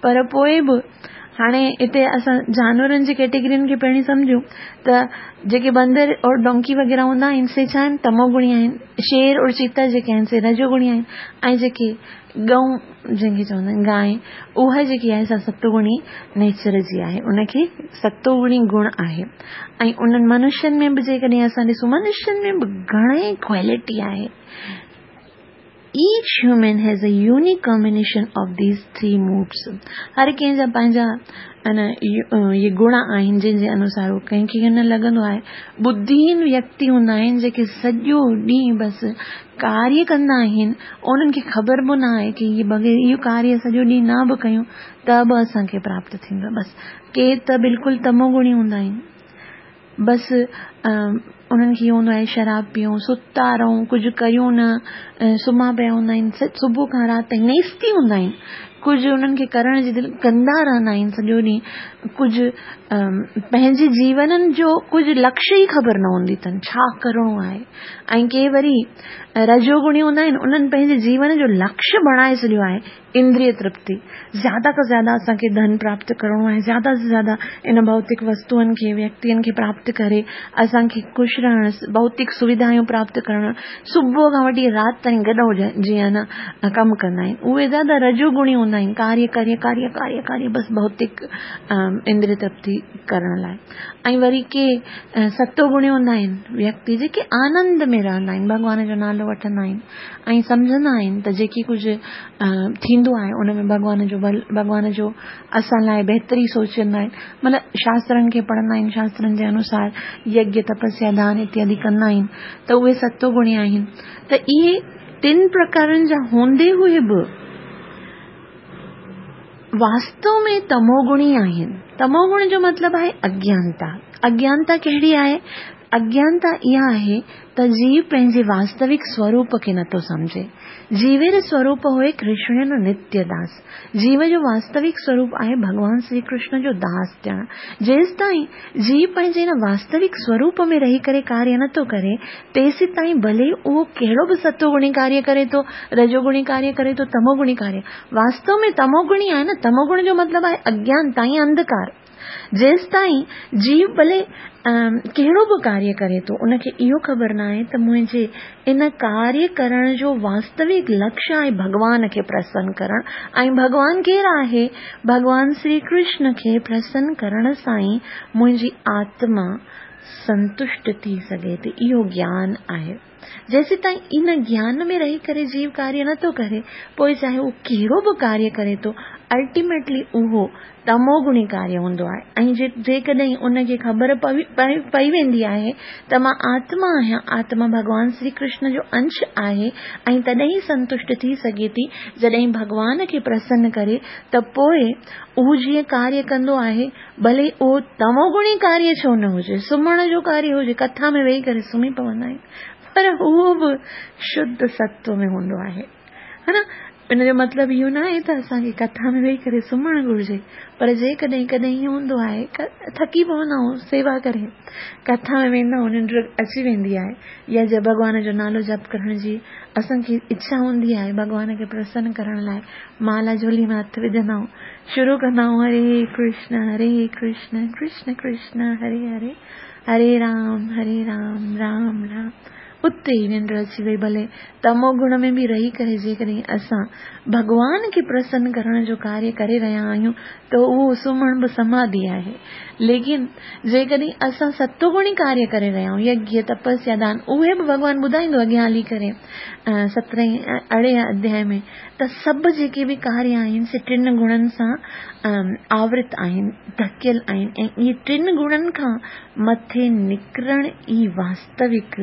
पर पोइ बि हाणे हिते असां जानवरनि जी कैटेगरियुनि खे पहिरीं सम्झूं त जेके बंदर और डोंकी वग़ैरह हूंदा आहिनि से छा आहिनि, तमोगुणी आहिनि। शेर और चीता जेके आहिनि से रजोगुणी आहिनि, ऐं जेके गऊं जंहिंखे चवंदा आहिनि गाय, उहा जेकी आहे सा सतोगुणी नेचर जी आहे, उनखे सतोगुणी गुण आहे। ऐं उन्हनि मनुष्यनि में बि जेकॾहिं असां ॾिसूं, मनुष्यनि में बि घणेई क्वालिटी आहे। Each human has a unique combination of these three moods. हर कंहिंजा पंहिंजा इहे गुण आहिनि जंहिंजे अनुसार उहो कंहिंखे न लॻंदो आहे। बुद्धिहीन व्यक्ति हूंदा आहिनि जेके सॼो ॾींहुं बसि कार्य कंदा आहिनि, उन्हनि खे ख़बर बि न आहे की इहे बग़ैर इहो कार्य सॼो ॾींहुं न बि कयूं त बि असांखे प्राप्त थींदो। बसि के त बिल्कुलु तमोगुणी हूंदा आहिनि, बसि उन्हनि खे इहो हूंदो आहे शराब पीऊं, सुता रहूं, कुझु कयूं न, सुम्हा पिया हूंदा आहिनि, सुबुह खां राति ताईं नेस्ती हूंदा आहिनि, कुझु उन्हनि खे करण जी दिलि कंदा रहंदा आहिनि सॼो ॾींहुं, कुझु पंहिंजे जीवन जो कुझु लक्ष्य ई ख़बर न हूंदी अथनि छा करिणो आहे। ऐं के वरी रजोगुणी हूंदा आहिनि, उन्हनि पंहिंजे जीवन जो लक्ष्य बणाए छॾियो आहे इंद्रिय तृप्ति, ज़्यादा खां ज़्यादा असांखे धन प्राप्त करिणो आहे, ज़्यादा से ज़्यादा इन भौतिक वस्तुअनि खे, व्यक्तियुनि खे प्राप्त करे असांखे ख़ुशि रहण, भौतिक सुविधायूं प्राप्त करणु, सुबुह खां वठी राति ताईं गॾो जीअं न कमु कंदा आहिनि। उहे ज़्यादा रजोगुणी हूंदा आहिनि, कार्य कार्य कार्य कार्य कार्य बसि भौतिक इंद्रिय तृप्ति करण लाइ। ऐं वरी के सतोगुणी हूंदा आहिनि व्यक्ति जेके आनंद में रहंदा आहिनि, भॻवान जो नालो वठंदा आहिनि ऐं सम्झंदा आहिनि त जेकी कुझु थींदो आहे उन में भॻवान जो भॻवान जो असां लाइ बहितरी सोचींदा आहिनि, मतिलबु शास्त्रनि खे पढ़ंदा आहिनि, शास्त्रनि जे अनुसार यज्ञ तपस्या दान इत्यादि कंदा आहिनि त उहे सतोगुणी आहिनि। त इहे टिनि प्रकारनि जा हूंदे हुए बि वास्तव में तमोगुणी आहिनि। तमोगुण जो मतिलबु आहे अज्ञानता। अज्ञानता कहिड़ी आहे? अज्ञानता इहा आहे त जीव पंहिंजे वास्तविक स्वरूप खे नथो सम्झे। जीवेर स्वरूप हुए कृष्ण जो नित्य दास। जीव जो वास्तविक स्वरूप आहे भॻवान श्री कृष्ण जो दास थियणु। जेसि ताईं जीव पंहिंजे हिन वास्तविक स्वरूप में रही करे कार्य नथो करे, तेसि ताईं भले उहो कहिड़ो बि सतोगुणी कार्य करे थो, रजोगुणी कार्य करे थो, तमोगुणी कार्य, वास्तव में तमोगुणी आहे न। तमोगुण जो मतिलबु आहे अज्ञानता ऐं अंधकार। जेसि ताईं जीव भले कहिड़ो बि कार्य करे थो, उनखे इहो ख़बर न आहे त मुंहिंजे इन कार्य करण जो वास्तविक लक्ष्य आहे भॻवान खे प्रसन्न करणु। ऐं भॻवान केरु आहे? भॻवान श्री कृष्ण खे प्रसन्न करण सां ई मुंहिंजी आत्मा संतुष्ट थी सघे थी। इहो ज्ञान आहे। जेसि ताईं इन ज्ञान में रही करे जीव कार्य नथो करे, पोइ चाहे उहो कहिड़ो बि कार्य करे थो, अल्टीमेटली उहो तमोगुणी कार्य हूंदो आहे। ऐं जेकॾहिं उनखे ख़बर पई वेंदी आहे त मां आत्मा आहियां, आत्मा भॻवान श्री कृष्ण जो अंश आहे ऐं तॾहिं ई संतुष्ट थी सघे थी जॾहिं भॻवान खे प्रसन्न करे, त पोइ उहो जीअं कार्य कंदो आहे, भले उहो तमोगुणी कार्य छो न हुजे, सुम्हण जो कार्य हुजे, कथा में वेही करे सुम्ही पवंदा आहिनि, पर उहो बि शुद्ध सत्व में हूंदो आहे, हा न। इन जो मतिलबु इहो न आहे त असांखे कथा में वेही करे सुम्हणु घुर्जे, पर जेकॾहिं कॾहिं ईअं हूंदो आहे, थकी पवंदा आहियूं सेवा करे, कथा में वेंदा आहियूं, निंड अची वेंदी आहे, या जे भॻवान जो नालो जप करण जी असांखे इच्छा हूंदी आहे, भॻवान खे प्रसन्न करण लाइ माला झोली में हथु विझंदा आहियूं, شروع ڪندا آهيون هري ڪرشن هري ڪرشن ڪرشن ڪرشن هري هري هري رام هري رام رام رام اتي ئي ننڊ اچي وئي. ڀلي تمو گڻ ۾ به رهي ڪري جيڪڏهن اسان ڀڳوان کي پرسن ڪرڻ جو ڪاريه ڪري رهيا آهيون ته اهو سمهڻ به سماڌي آهي. ليڪن جيڪڏهن اسان ستوگڻي ڪاريه ڪري رهيا آهيون، يگيه، تپسيا، دان، اهي به ڀڳوان ٻڌائيندو اڳيان هلي ڪري سترهين ارڙهين اڌياء ۾ ته سڀ جيڪي به ڪاريه آهن سي ٽن گڻن سان آورت آهن، ڍڪيل آهن ۽ اهي ٽن گڻن کان مٿي نڪرڻ ئي واستوڪ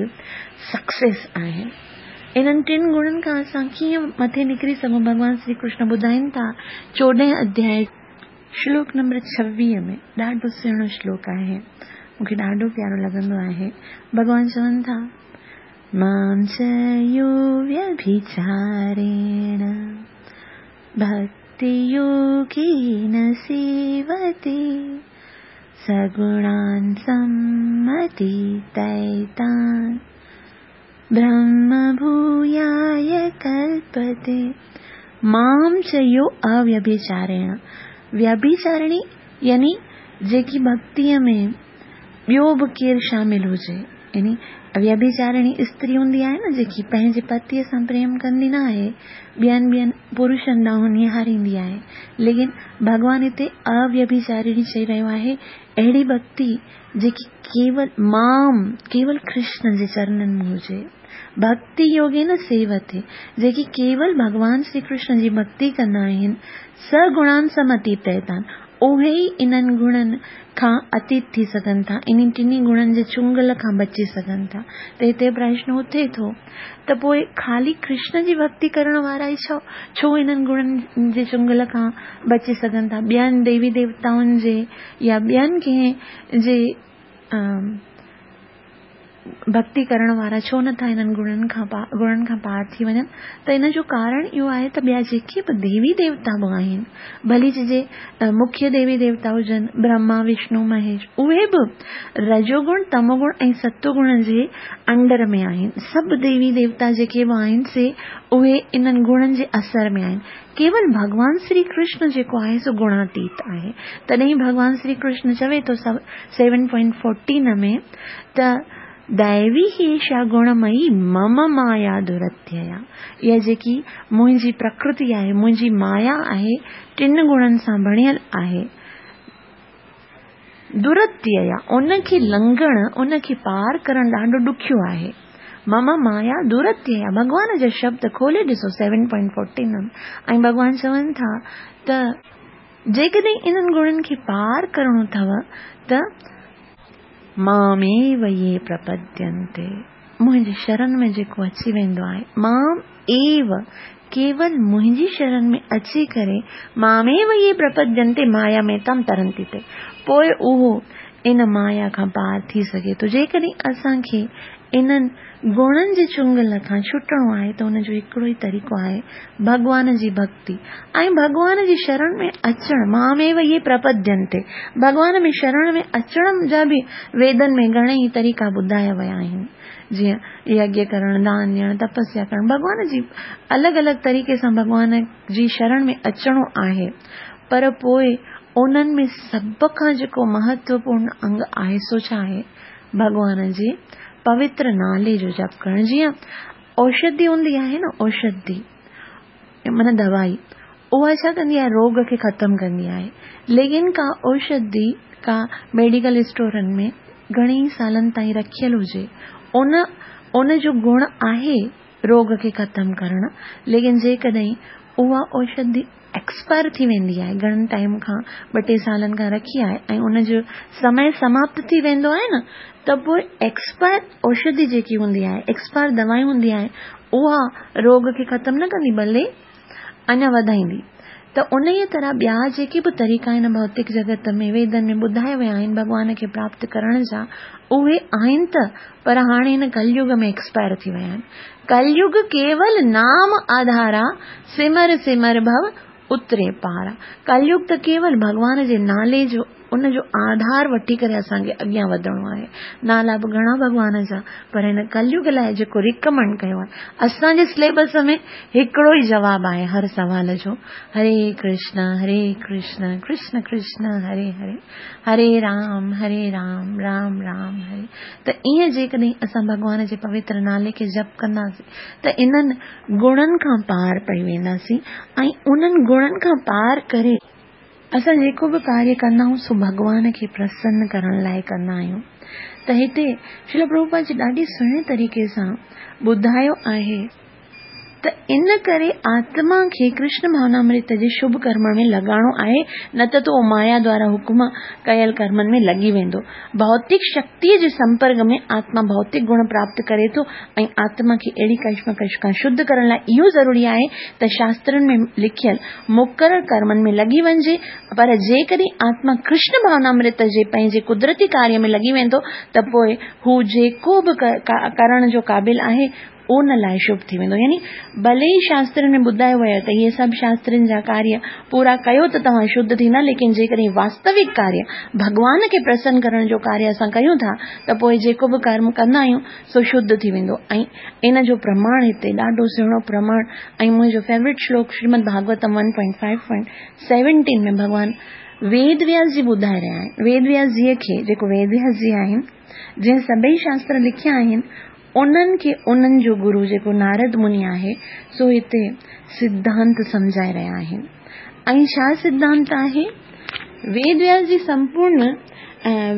سڪسيس آهي. انهن ٽن گڻن کان اسان ڪيئن مٿي نڪري سگهون؟ ڀڳوان شري ڪرشن ٻڌائين ٿا چوڏهين اڌياء شلوڪ نمبر ڇويهه ۾، ڏاڍو سهڻو شلوڪ آهي، مون کي ڏاڍو پيارو لڳندو آهي. ڀڳوان چون ٿا مام چ يو ويڀچاريڻ ڀڪتي يوگين سيوتي سگڻان سمتيتيتان برهم ڀوياي ڪلپتي. مام چ يو اويڀچاريڻ، ويڀچارڻي يعني جيڪي ڀڪتيءَ ۾ ٻيو به ڪير شامل هجي، يعني ويڀچارڻي استري هوندي آهي نه جيڪي پنهنجي پتيءَ سان پريم ڪندي نه آهي، ٻين ٻين پرشن ڏانهن نهاريندي آهي. ليڪن ڀڳوان هتي اويڀچارڻي چئي رهيو آهي اهڙي ڀڪتي جيڪي ڪيول مام ڪيول ڪرشن جي چرنن ۾ هجي. ڀڪتي يوگين سيوتي، جيڪي ڪيول ڀڳوان شري ڪرشن جي ڀڪتي ڪندا آهن، سگڻان سمتيتيتان، اهي ئي انهن گڻن کان اتيت ٿي سگهن ٿا، انهن ٽنهي گڻن جي چنگل کان بچي سگهن ٿا. ته هتي پرشن اٿي ٿو ته پوءِ خالي ڪرشن جي ڀڪتي ڪرڻ وارا ئي ڇو ڇو انهن گڻن جي چنگل کان بچي سگهن ٿا؟ ٻين ديوي ديوتائن جي يا ٻين ڪنهن جي ڀڪتي ڪرڻ وارا ڇو نٿا انهن گڻن کان گڻن کان پار ٿي وڃن؟ ته ان جو ڪارڻ اهو آهي ته ٻيا جيڪي به ديوي ديوتا به آهن، ڀلي چئجي مکيه ديوي ديوتا هجن برهما وشنو مهيش، اهي به رجوگڻ تموگڻ ۽ ستوگڻ جي انڊر ۾ آهن. سڀ ديوي ديوتا جيڪي به آهن سي اهي انهن گڻن جي اثر ۾ آهن. ڪيول ڀڳوان شري ڪرشن جيڪو آهي سو گڻاتيت آهي. تڏهن ڀڳوان شري ڪرشن چوي ٿو سيون پوائنٽ فورٽين ۾ ته دئوي هيشا گڻمئي مم مايا درتيا، اها جيڪي منهنجي پرڪرتي آهي، منهنجي مايا آهي، ٽن گڻن سان بڻيل آهي، درتيا ان کي لنگهڻ ان کي پار ڪرڻ ڏاڍو ڏکيو آهي. مم مايا درتيا، ڀڳوان جا شبد کولي ڏسو سيون پوائنٽ فورٽين ۽ ڀڳوان چون ٿا ته جيڪڏهن انهن گڻن کي پار ڪرڻو اٿو ته ماميو يي پرپدينتي، منهنجي شرڻ ۾ جيڪو اچي ويندو آهي، مام ايو ڪيول منهنجي شرڻ ۾ اچي ڪري ماميو يي پرپدينتي مايا ۾ تم ترنتي تي، پوءِ اهو ان مايا کان پار ٿي سگهي ٿو. جيڪڏهن اسان کي انهن گڻن جي چنگل کان ڇٽڻو آهي ته ان جو هڪڙو ئي طريقو آهي ڀڳوان جي ڀڪتي ۽ ڀڳوان جي شرڻ ۾ اچڻ. ماميو يي پرپدينتي، ڀڳوان ۾ شرڻ ۾ اچڻ جا به ويدن ۾ گهڻي ئي طريقا ٻڌايا ويا آهن، جيئن يگيه ڪرڻ، دان ڏيڻ، تپسيا ڪرڻ، ڀڳوان جي الڳ الڳ طريقي سان ڀڳوان جي شرڻ ۾ اچڻو آهي. پر پوءِ انهن ۾ سڀ کان جيڪو مهتوپورڻ انگ آهي سو ڇا آهي؟ ڀڳوان جي پوتر نالي جو جپ ڪرڻ. جيئن اوشڌي هوندي آهي نه، اوشڌي معنيٰ دوائي، اها ڇا ڪندي آهي؟ روڳ کي ختم ڪندي آهي. ليڪن ڪا اوشڌي ڪا ميڊيڪل اسٽورن ۾ گهڻي سالن تائين رکيل هجي، ان ان جو گڻ آهي روڳ کي ختم ڪرڻ، ليڪن جيڪڏهن اها اوشڌي ايڪسپائر ٿي ويندي آهي، گهڻن ٽائيم کان ٻه ٽي سالن کان رکي آهي ۽ ان جو سمي سماپت ٿي ويندو آهي نه، ته پوءِ ايڪسپائر اوشڌي جيڪي هوندي آهي، ايڪسپائر دوائي هوندي آهي، اها روڳ کي ختم نه ڪندي ڀلي اڃا وڌائيندي. ته ان ئي طرح ٻيا جيڪي به طريقا آهن ڀوتڪ جڳت ۾ ويدن ۾ ٻڌايا ويا آهن ڀڳوان کي پراپت ڪرڻ جا، اهي آهن ته، پر هاڻي هن ڪليگ ۾ ايڪسپائر ٿي ويا آهن. ڪليگ ڪيول نام آڌارا سمر سمر ڀو اتري پارا. ڪليگ ته ڪيول ڀڳوان جي نالي جو ان جو آڌار وٺي ڪري اسان کي اڳيان وڌڻو آهي. نالا به گهڻا ڀڳوان جا، پر هن ڪليگ لاءِ جيڪو ريڪمينڊ ڪيو آهي، اسان جي سليبس ۾ هڪڙو ئي جواب آهي هر سوال جو، هري ڪرشن هري ڪرشن ڪرشن ڪرشن هري هري، هري رام هري رام رام رام هري. ته ائين جيڪڏهن اسان ڀڳوان جي پوتر نالي کي جپ ڪنداسين ته انهن گڻن کان پار پئي وينداسين ۽ انهن گڻن کان پار ڪري اسان جيڪو به ڪاريه ڪندا آهيون سو ڀڳوان کي پرسن ڪرڻ لاءِ ڪندا آهيون. ته هتي شريل پرڀوپاد جي ڏاڍي سهڻي طريقي سان ٻڌايو آهي ته ان ڪري آتما کي ڪرشن ڀاونامرت جي شڀ ڪرم ۾ لڳائڻو آهي، نه ته اهو مايا دوارا حڪم ڪيل ڪرمن ۾ لڳي ويندو. ڀوتڪ شڪتيءَ جي سمپرڪ ۾ آتما ڀوتڪ گڻ پراپت ڪري ٿو ۽ آتما کي اهڙي ڪشمڪش کان شڌ ڪرڻ لاءِ اهو ضروري آهي ته شاسترن ۾ لکيل مقرر ڪرمن ۾ لڳي وڃجي. پر جيڪڏهن آتما ڪرشن ڀاونامرت جي پنهنجي قدرتي ڪاريه ۾ لڳي ويندو ته پوءِ هو جيڪو به ڪرڻ جو قابل آهي ان لاءِ شڀ ٿي ويندو. يعني ڀلي ئي شاسترن ۾ ٻڌايو ويو ته اهي سڀ شاسترن جا ڪاريه پورا ڪيو ته توهان شڌ ٿيندا، ليڪن جيڪڏهن واستوڪ ڪاريه ڀڳوان کي پرسن ڪرڻ جو ڪاريه اسان ڪيون ٿا ته پوءِ جيڪو به ڪرم ڪندا آهيون سو شڌ ٿي ويندو. ۽ ان جو پرماڻ هتي ڏاڍو سهڻو پرماڻ ۽ منهنجو favourite شلوڪ Shrimad Bhagavatam one point five point seventeen ۾ ڀڳوان ويد وياس جي ٻڌائي رهيا آهن. ويد وياس جيءَ کي جيڪو ويد وياس جي آهن جنهن سڀئي شاستر لکيا آهن، انهن کي انهن جو گرو جيڪو نارد مني آهي سو هتي سڌانت سمجهائي رهيا آهن. ۽ ڇا سڌانت آهي؟ ويد وياس جي سمپورڻ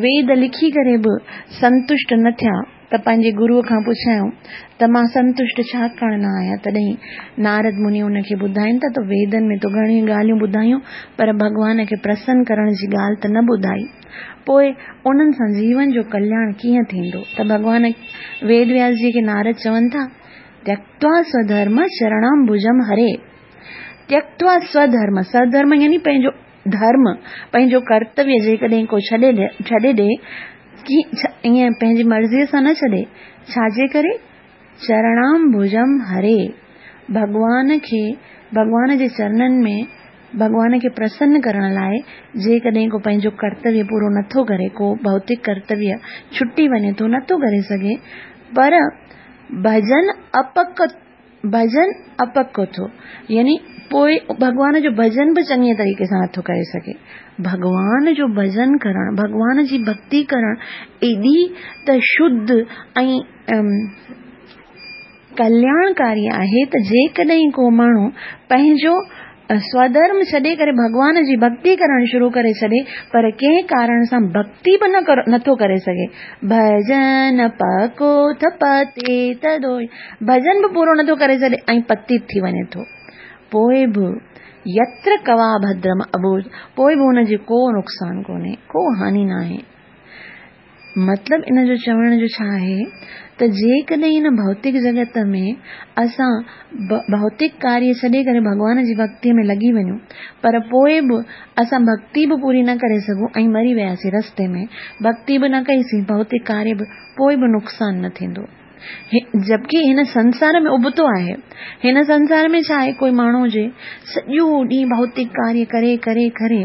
ويد لکي ڪري به سنتشٽ نه ٿيا ته پنهنجي گروءَ کان پڇيائون ته مان سنتشٽ ڇا ڪرڻ نه آهيان. تڏهن نارد مني ان کي ٻڌائين ٿا ته ويدن ۾ تو گهڻيون ڳالهيون ٻڌايون پر ڀڳوان کي پرسن ڪرڻ جي ڳالهه ته نه ٻڌائي، پوءِ انهن سان جيون جو ڪلياڻ ڪيئن ٿيندو؟ ته ڀڳوان ويد وياس جي کي نارد چون ٿا، تيڪتوا سوڌرم شرڻام ڀجم هري. تيڪتوا سوڌرم، سوڌرم يعني پنهنجو ڌرم، پنهنجو ڪرتويه جيڪڏهن ڪو ڇڏي ڇڏي ڏئي، ائين پنهنجي مرضيءَ سان نه ڇڏي، ڇا جي ڪري؟ چرڻام ڀجم هري، ڀڳوان کي، ڀڳوان جي چرڻن ۾ ڀڳوان کي پرسن ڪرڻ لاءِ جيڪڏهن ڪو پنهنجو ڪرتويه پورو نٿو ڪري، ڪو ڀوتڪ ڪرتويه ڇٽي وڃي ٿو، نٿو ڪري سگهي، پر ڀڄن اپڪ ڀڄن اپڪ ٿو، يعني پوءِ ڀڳوان جو ڀڄن به چڱي طريقي سان نٿو ڪري سگهي. ڀڳوان جو ڀڄن ڪرڻ، ڀڳوان جي ڀڪتي ڪرڻ ايڏي ته شڌ ۽ ڪلياڻڪاري آهي ته جيڪڏهن ڪو ماڻهو پنهنجو سوڌرم ڇڏي ڪري ڀڳوان جي ڀڪتي ڪرڻ شروع ڪري ڇڏي، پر ڪنهن ڪارڻ سان ڀڪتي به نه نٿو ڪري سگهي، ڀڄن پڪو پتيت دوئي، ڀڄن به پورو نٿو ڪري سگهي ۽ پتيت ٿي وڃي ٿو، پوءِ به يتر ڪوا ڀدرم ابوج، پوءِ به هن جي ڪو نقصان ڪونهي، ڪو هاني نه آهي. مطلب ان جو چوڻ جو ڇا آهي ته جيڪڏهن هن ڀوتڪ جڳت ۾ اسان ڀوتڪ ڪاريه ڇڏي ڪري ڀڳوان جي ڀڪتيءَ ۾ لڳي وڃون، پر پوءِ به اسان ڀڪتي به پوري نه ڪري سگهون ۽ مري وياسين رستي ۾، ڀڪتي به نه ڪئيسين، ڀوتڪ ڪاريه به، پوءِ به نقصان نه ٿيندو. جبڪه هن سنسار ۾ ابتو آهي. هن سنسار ۾ ڇا آهي، ڪوئي ماڻهو هجي سڄو ڏينهن ڀوتڪ ڪاريه ڪري ڪري ڪري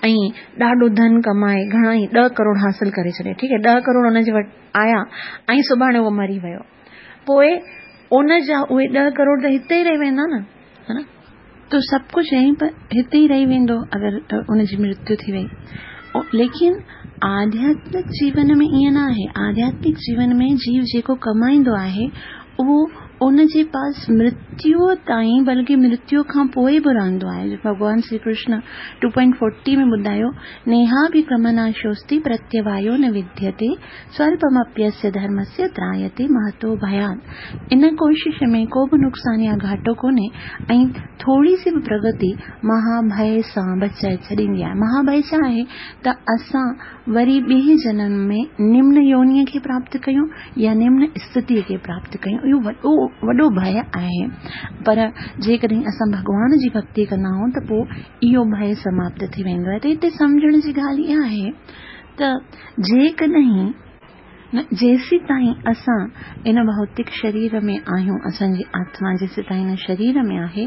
۽ ڏاڍو ڌن ڪمائي گهڻا ئي ڏهه ڪروڙ حاصل ڪري ڇڏي، ٺيڪ آهي، ڏهه ڪروڙ هن جي وٽ آيا ۽ سڀاڻي اهو مري ويو، پوءِ ان جا اهي ڏهه ڪروڙ ته هتي ئي رهي ويندا نه، ها نه، ته سڀ ڪجهه يهين پر هتي ئي رهي ويندو اگر ان جي مرتيو ٿي وئي. ليڪن آڌياتمڪ جيون ۾ ائين نه آهي. آڌياتمڪ جيون ۾ جيو جيڪو ڪمائيندو آهي اهو ان جي پاس مرتيوءَ تائين بلڪه مرتيوءَ کان پوءِ به رهندو آهي. ڀڳوان Shri Krishna two point forty ۾ ٻڌايو، نيهاڀڪرمناشوستي پرتيوايو نه وديتي سوالپمپيسيه ڌرمسيه ترايتي مهتو ڀيات. ان ڪوشش ۾ ڪو به نقصان يا گهاٽو ڪونهي ۽ ٿوري سي به پرگتي مهاڀي سان بچائي ڇڏيندي آهي. مهاڀي ڇا آهي ته اسان وري ٻئي جنم ۾ نمن يونيءَ کي پراپت ڪيون يا نمن اسٿتيءَ کي پراپت ڪيون، اهو وڏو وڏو ڀي آهي. پر جيڪڏهن اسان ڀڳوان جي ڀڪتي ڪندا آهيون ته پوءِ اهو ڀي سماپت ٿي ويندو آهي. ته هتي سمجهڻ جي ڳالهه اها آهي ته جيڪڏهن نه جيسين تائين اسان ان ڀوتڪ شرير ۾ آهيون، اسان جي آتما جيسين تائين ان شرير ۾ آهي،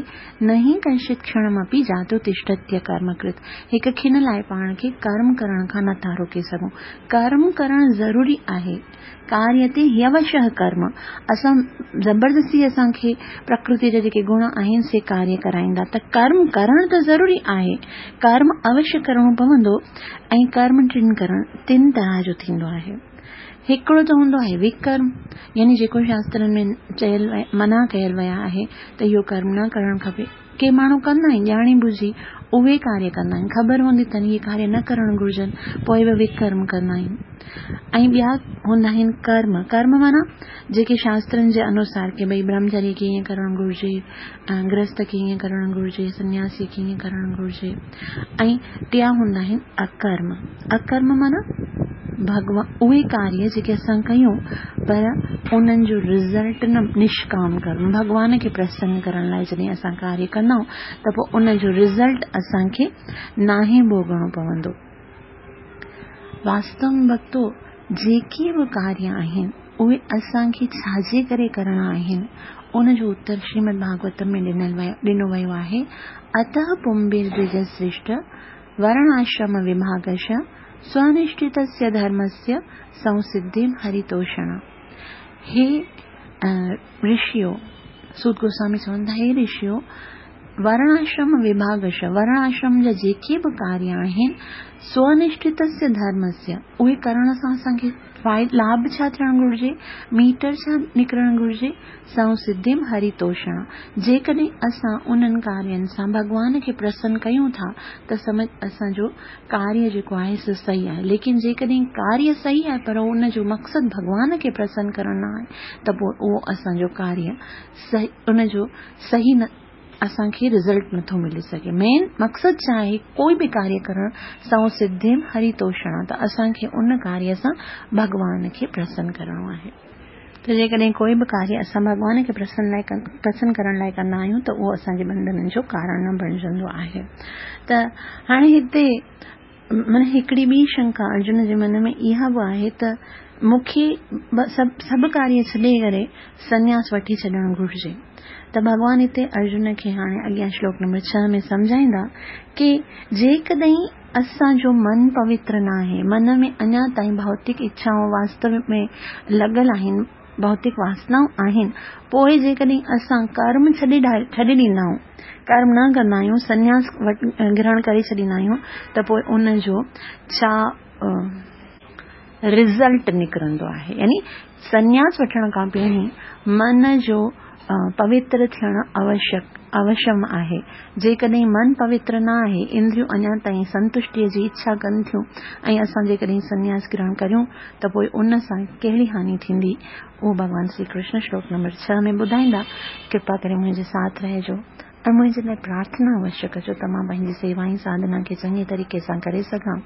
نه ئي ڪنشت کڻمپي جاتو تشٽتيه ڪرمڪرت، هڪ کن لاء پاڻ کي ڪرم ڪرڻ کان نٿا روڪي سگهون. ڪرم ڪرڻ ضروري آهي. ڪاريتي هيوشः ڪرم، اسان زبردستي اسان کي پرڪرتي جا جيڪي گڻ آهن سي ڪاريه ڪرائيندا، ته ڪرم ڪرڻ ته ضروري آهي، ڪرم اوشيه ڪرڻو پوندو. ۽ ڪرم ٽن ڪرڻ ٽن طرح جو ٿيندو آهي. هڪڙو ته هوندو آهي وڪرم، يعني جيڪو شاسترن ۾ چيل منع ڪيل ويا آهي ته اهو ڪرم نه ڪرڻ کپي. ڪي ماڻهو ڪندا آهن ڄاڻي ٻجهي، اهي ڪاريه ڪندا آهن، خبر هوندي اٿن اهي ڪاريه نه ڪرڻ گهرجن، پوءِ به وڪرم ڪندا آهن. ۽ ٻيا هوندا آهن ڪرم. ڪرم معنيٰ جيڪي شاسترن جي انوسار ڪي ڀئي برهمچاري کي ائين ڪرڻ گهرجي، گرهست کي ائين ڪرڻ گهرجي، سنياسي کي ائين ڪرڻ گهرجي. ۽ ٽيان هوندا آهن اڪرم. اڪرم معنيٰ ڀڳوان اهي ڪاريه جيڪي اسان ڪيون پر انهن جو رزلٽ نه، نشڪام ڪرم، ڀڳوان کي پرسن ڪرڻ لاءِ جڏهن اسان ڪاريه ڪندا آهيون ته پوءِ ان جو رزلٽ اسان کي ناهي ڀوڳڻو پوندو. واستو ۾ ڀڳتو جيڪي به ڪاريه آهن اهي اسان کي ڇا جي ڪري ڪرڻا آهن، ان جو اتر شريمد ڀاڳوتم ۾ ڏنل ويو ڏنو ويو آهي. اتهه پمبير دوج شريشٺ ورڻ آشرم وڀاگش سونشٺتسيه ڌرمسيه سنسڌيم هرتوشڻ. هي رشيو، سوت گوسوامي چون ٿا، هي رشيو، ورڻ آشرم وڀاگش، ورڻ آشرم جا جيڪي به ڪاريه آهن، سونشٺتسيه ڌرمسيه، اهي ڪرڻ سان اسان کي لاڀ ڇا ٿيڻ گهرجي، ميٽر ڇا نڪرڻ گهرجي؟ سنسڌيم هرتوشڻ. جيڪڏهن اسان انهن ڪارين سان ڀڳوان کي پرسن ڪيون ٿا ته سمجهه اسان جو ڪاريه جيڪو آهي سو صحيح آهي. ليڪن جيڪڏهن ڪاريه صحيح آهي پر ان جو مقصد ڀڳوان کي پرسن ڪرڻ نه آهي ته پوءِ اهو اسان جو ڪاريه صحيح ان جو صحيح نه اسان کي رزلٽ نٿو ملي سگهي. مين مقصد ڇا آهي ڪوئي به ڪاريه ڪرڻ؟ سنسڌيم هرتوشڻ، ته اسان کي ان ڪاريه سان ڀڳوان کي پرسن ڪرڻو آهي. ته جيڪڏهن ڪوئي به ڪاريه اسان ڀڳوان کي پرسن لاءِ پرسن ڪرڻ لاءِ ڪندا آهيون ته اهو اسان جي بنڌنن جو ڪارڻ نه بڻجندو آهي. ته هاڻي هتي معنيٰ هڪڙي ٻي شنڪا ارجن جي من ۾ اها به آهي ته مون کي سڀ سڀ ڪاريه ڇڏي ڪري سنياس وٺي ڇڏڻ گهرجي. ته ڀڳوان هتي ارجن کي هاڻي اڳيان شلوڪ نمبر ڇهه ۾ سمجهائيندا ڪه جيڪڏهن اسان جو من پوتر نه آهي، من ۾ اڃا تائين ڀوتڪ اڇائون واستو ۾ لڳل آهن، ڀوتڪ واسنائون آهن، پوءِ جيڪڏهن اسان ڪرم ڇڏي ڇڏي ڏيندا آهيون، ڪرم نه ڪندا آهيون، سنياس گرهڻ ڪري ڇڏيندا آهيون، ته پوءِ ان جو ڇا رزلٽ نڪرندو آهي؟ يعني سنياس وٺڻ کان پهرين من جو پوتر ٿيڻ اوشيڪ اوشيم آهي. جيڪڏهن من پوتر نه آهي، اندريون اڃا تائين سنتشٽيءَ جي اڇا ڪن ٿيون ۽ اسان جيڪڏهن سنياس گرهڻ ڪريون ته پوءِ ان سان ڪهڙي هاني ٿيندي، اهو ڀڳوان شري ڪرشن شلوڪ نمبر ڇهه ۾ ٻڌائيندا. ڪرپا ڪري منهنجي ساٿ رهجو ۽ منهنجي لاءِ پرارٿنا اوشيه ڪجو ته مان پنهنجي سيوا ۽ ساڌنا کي چڱي طريقي سان ڪري سگهان.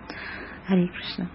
هري ڪرشن.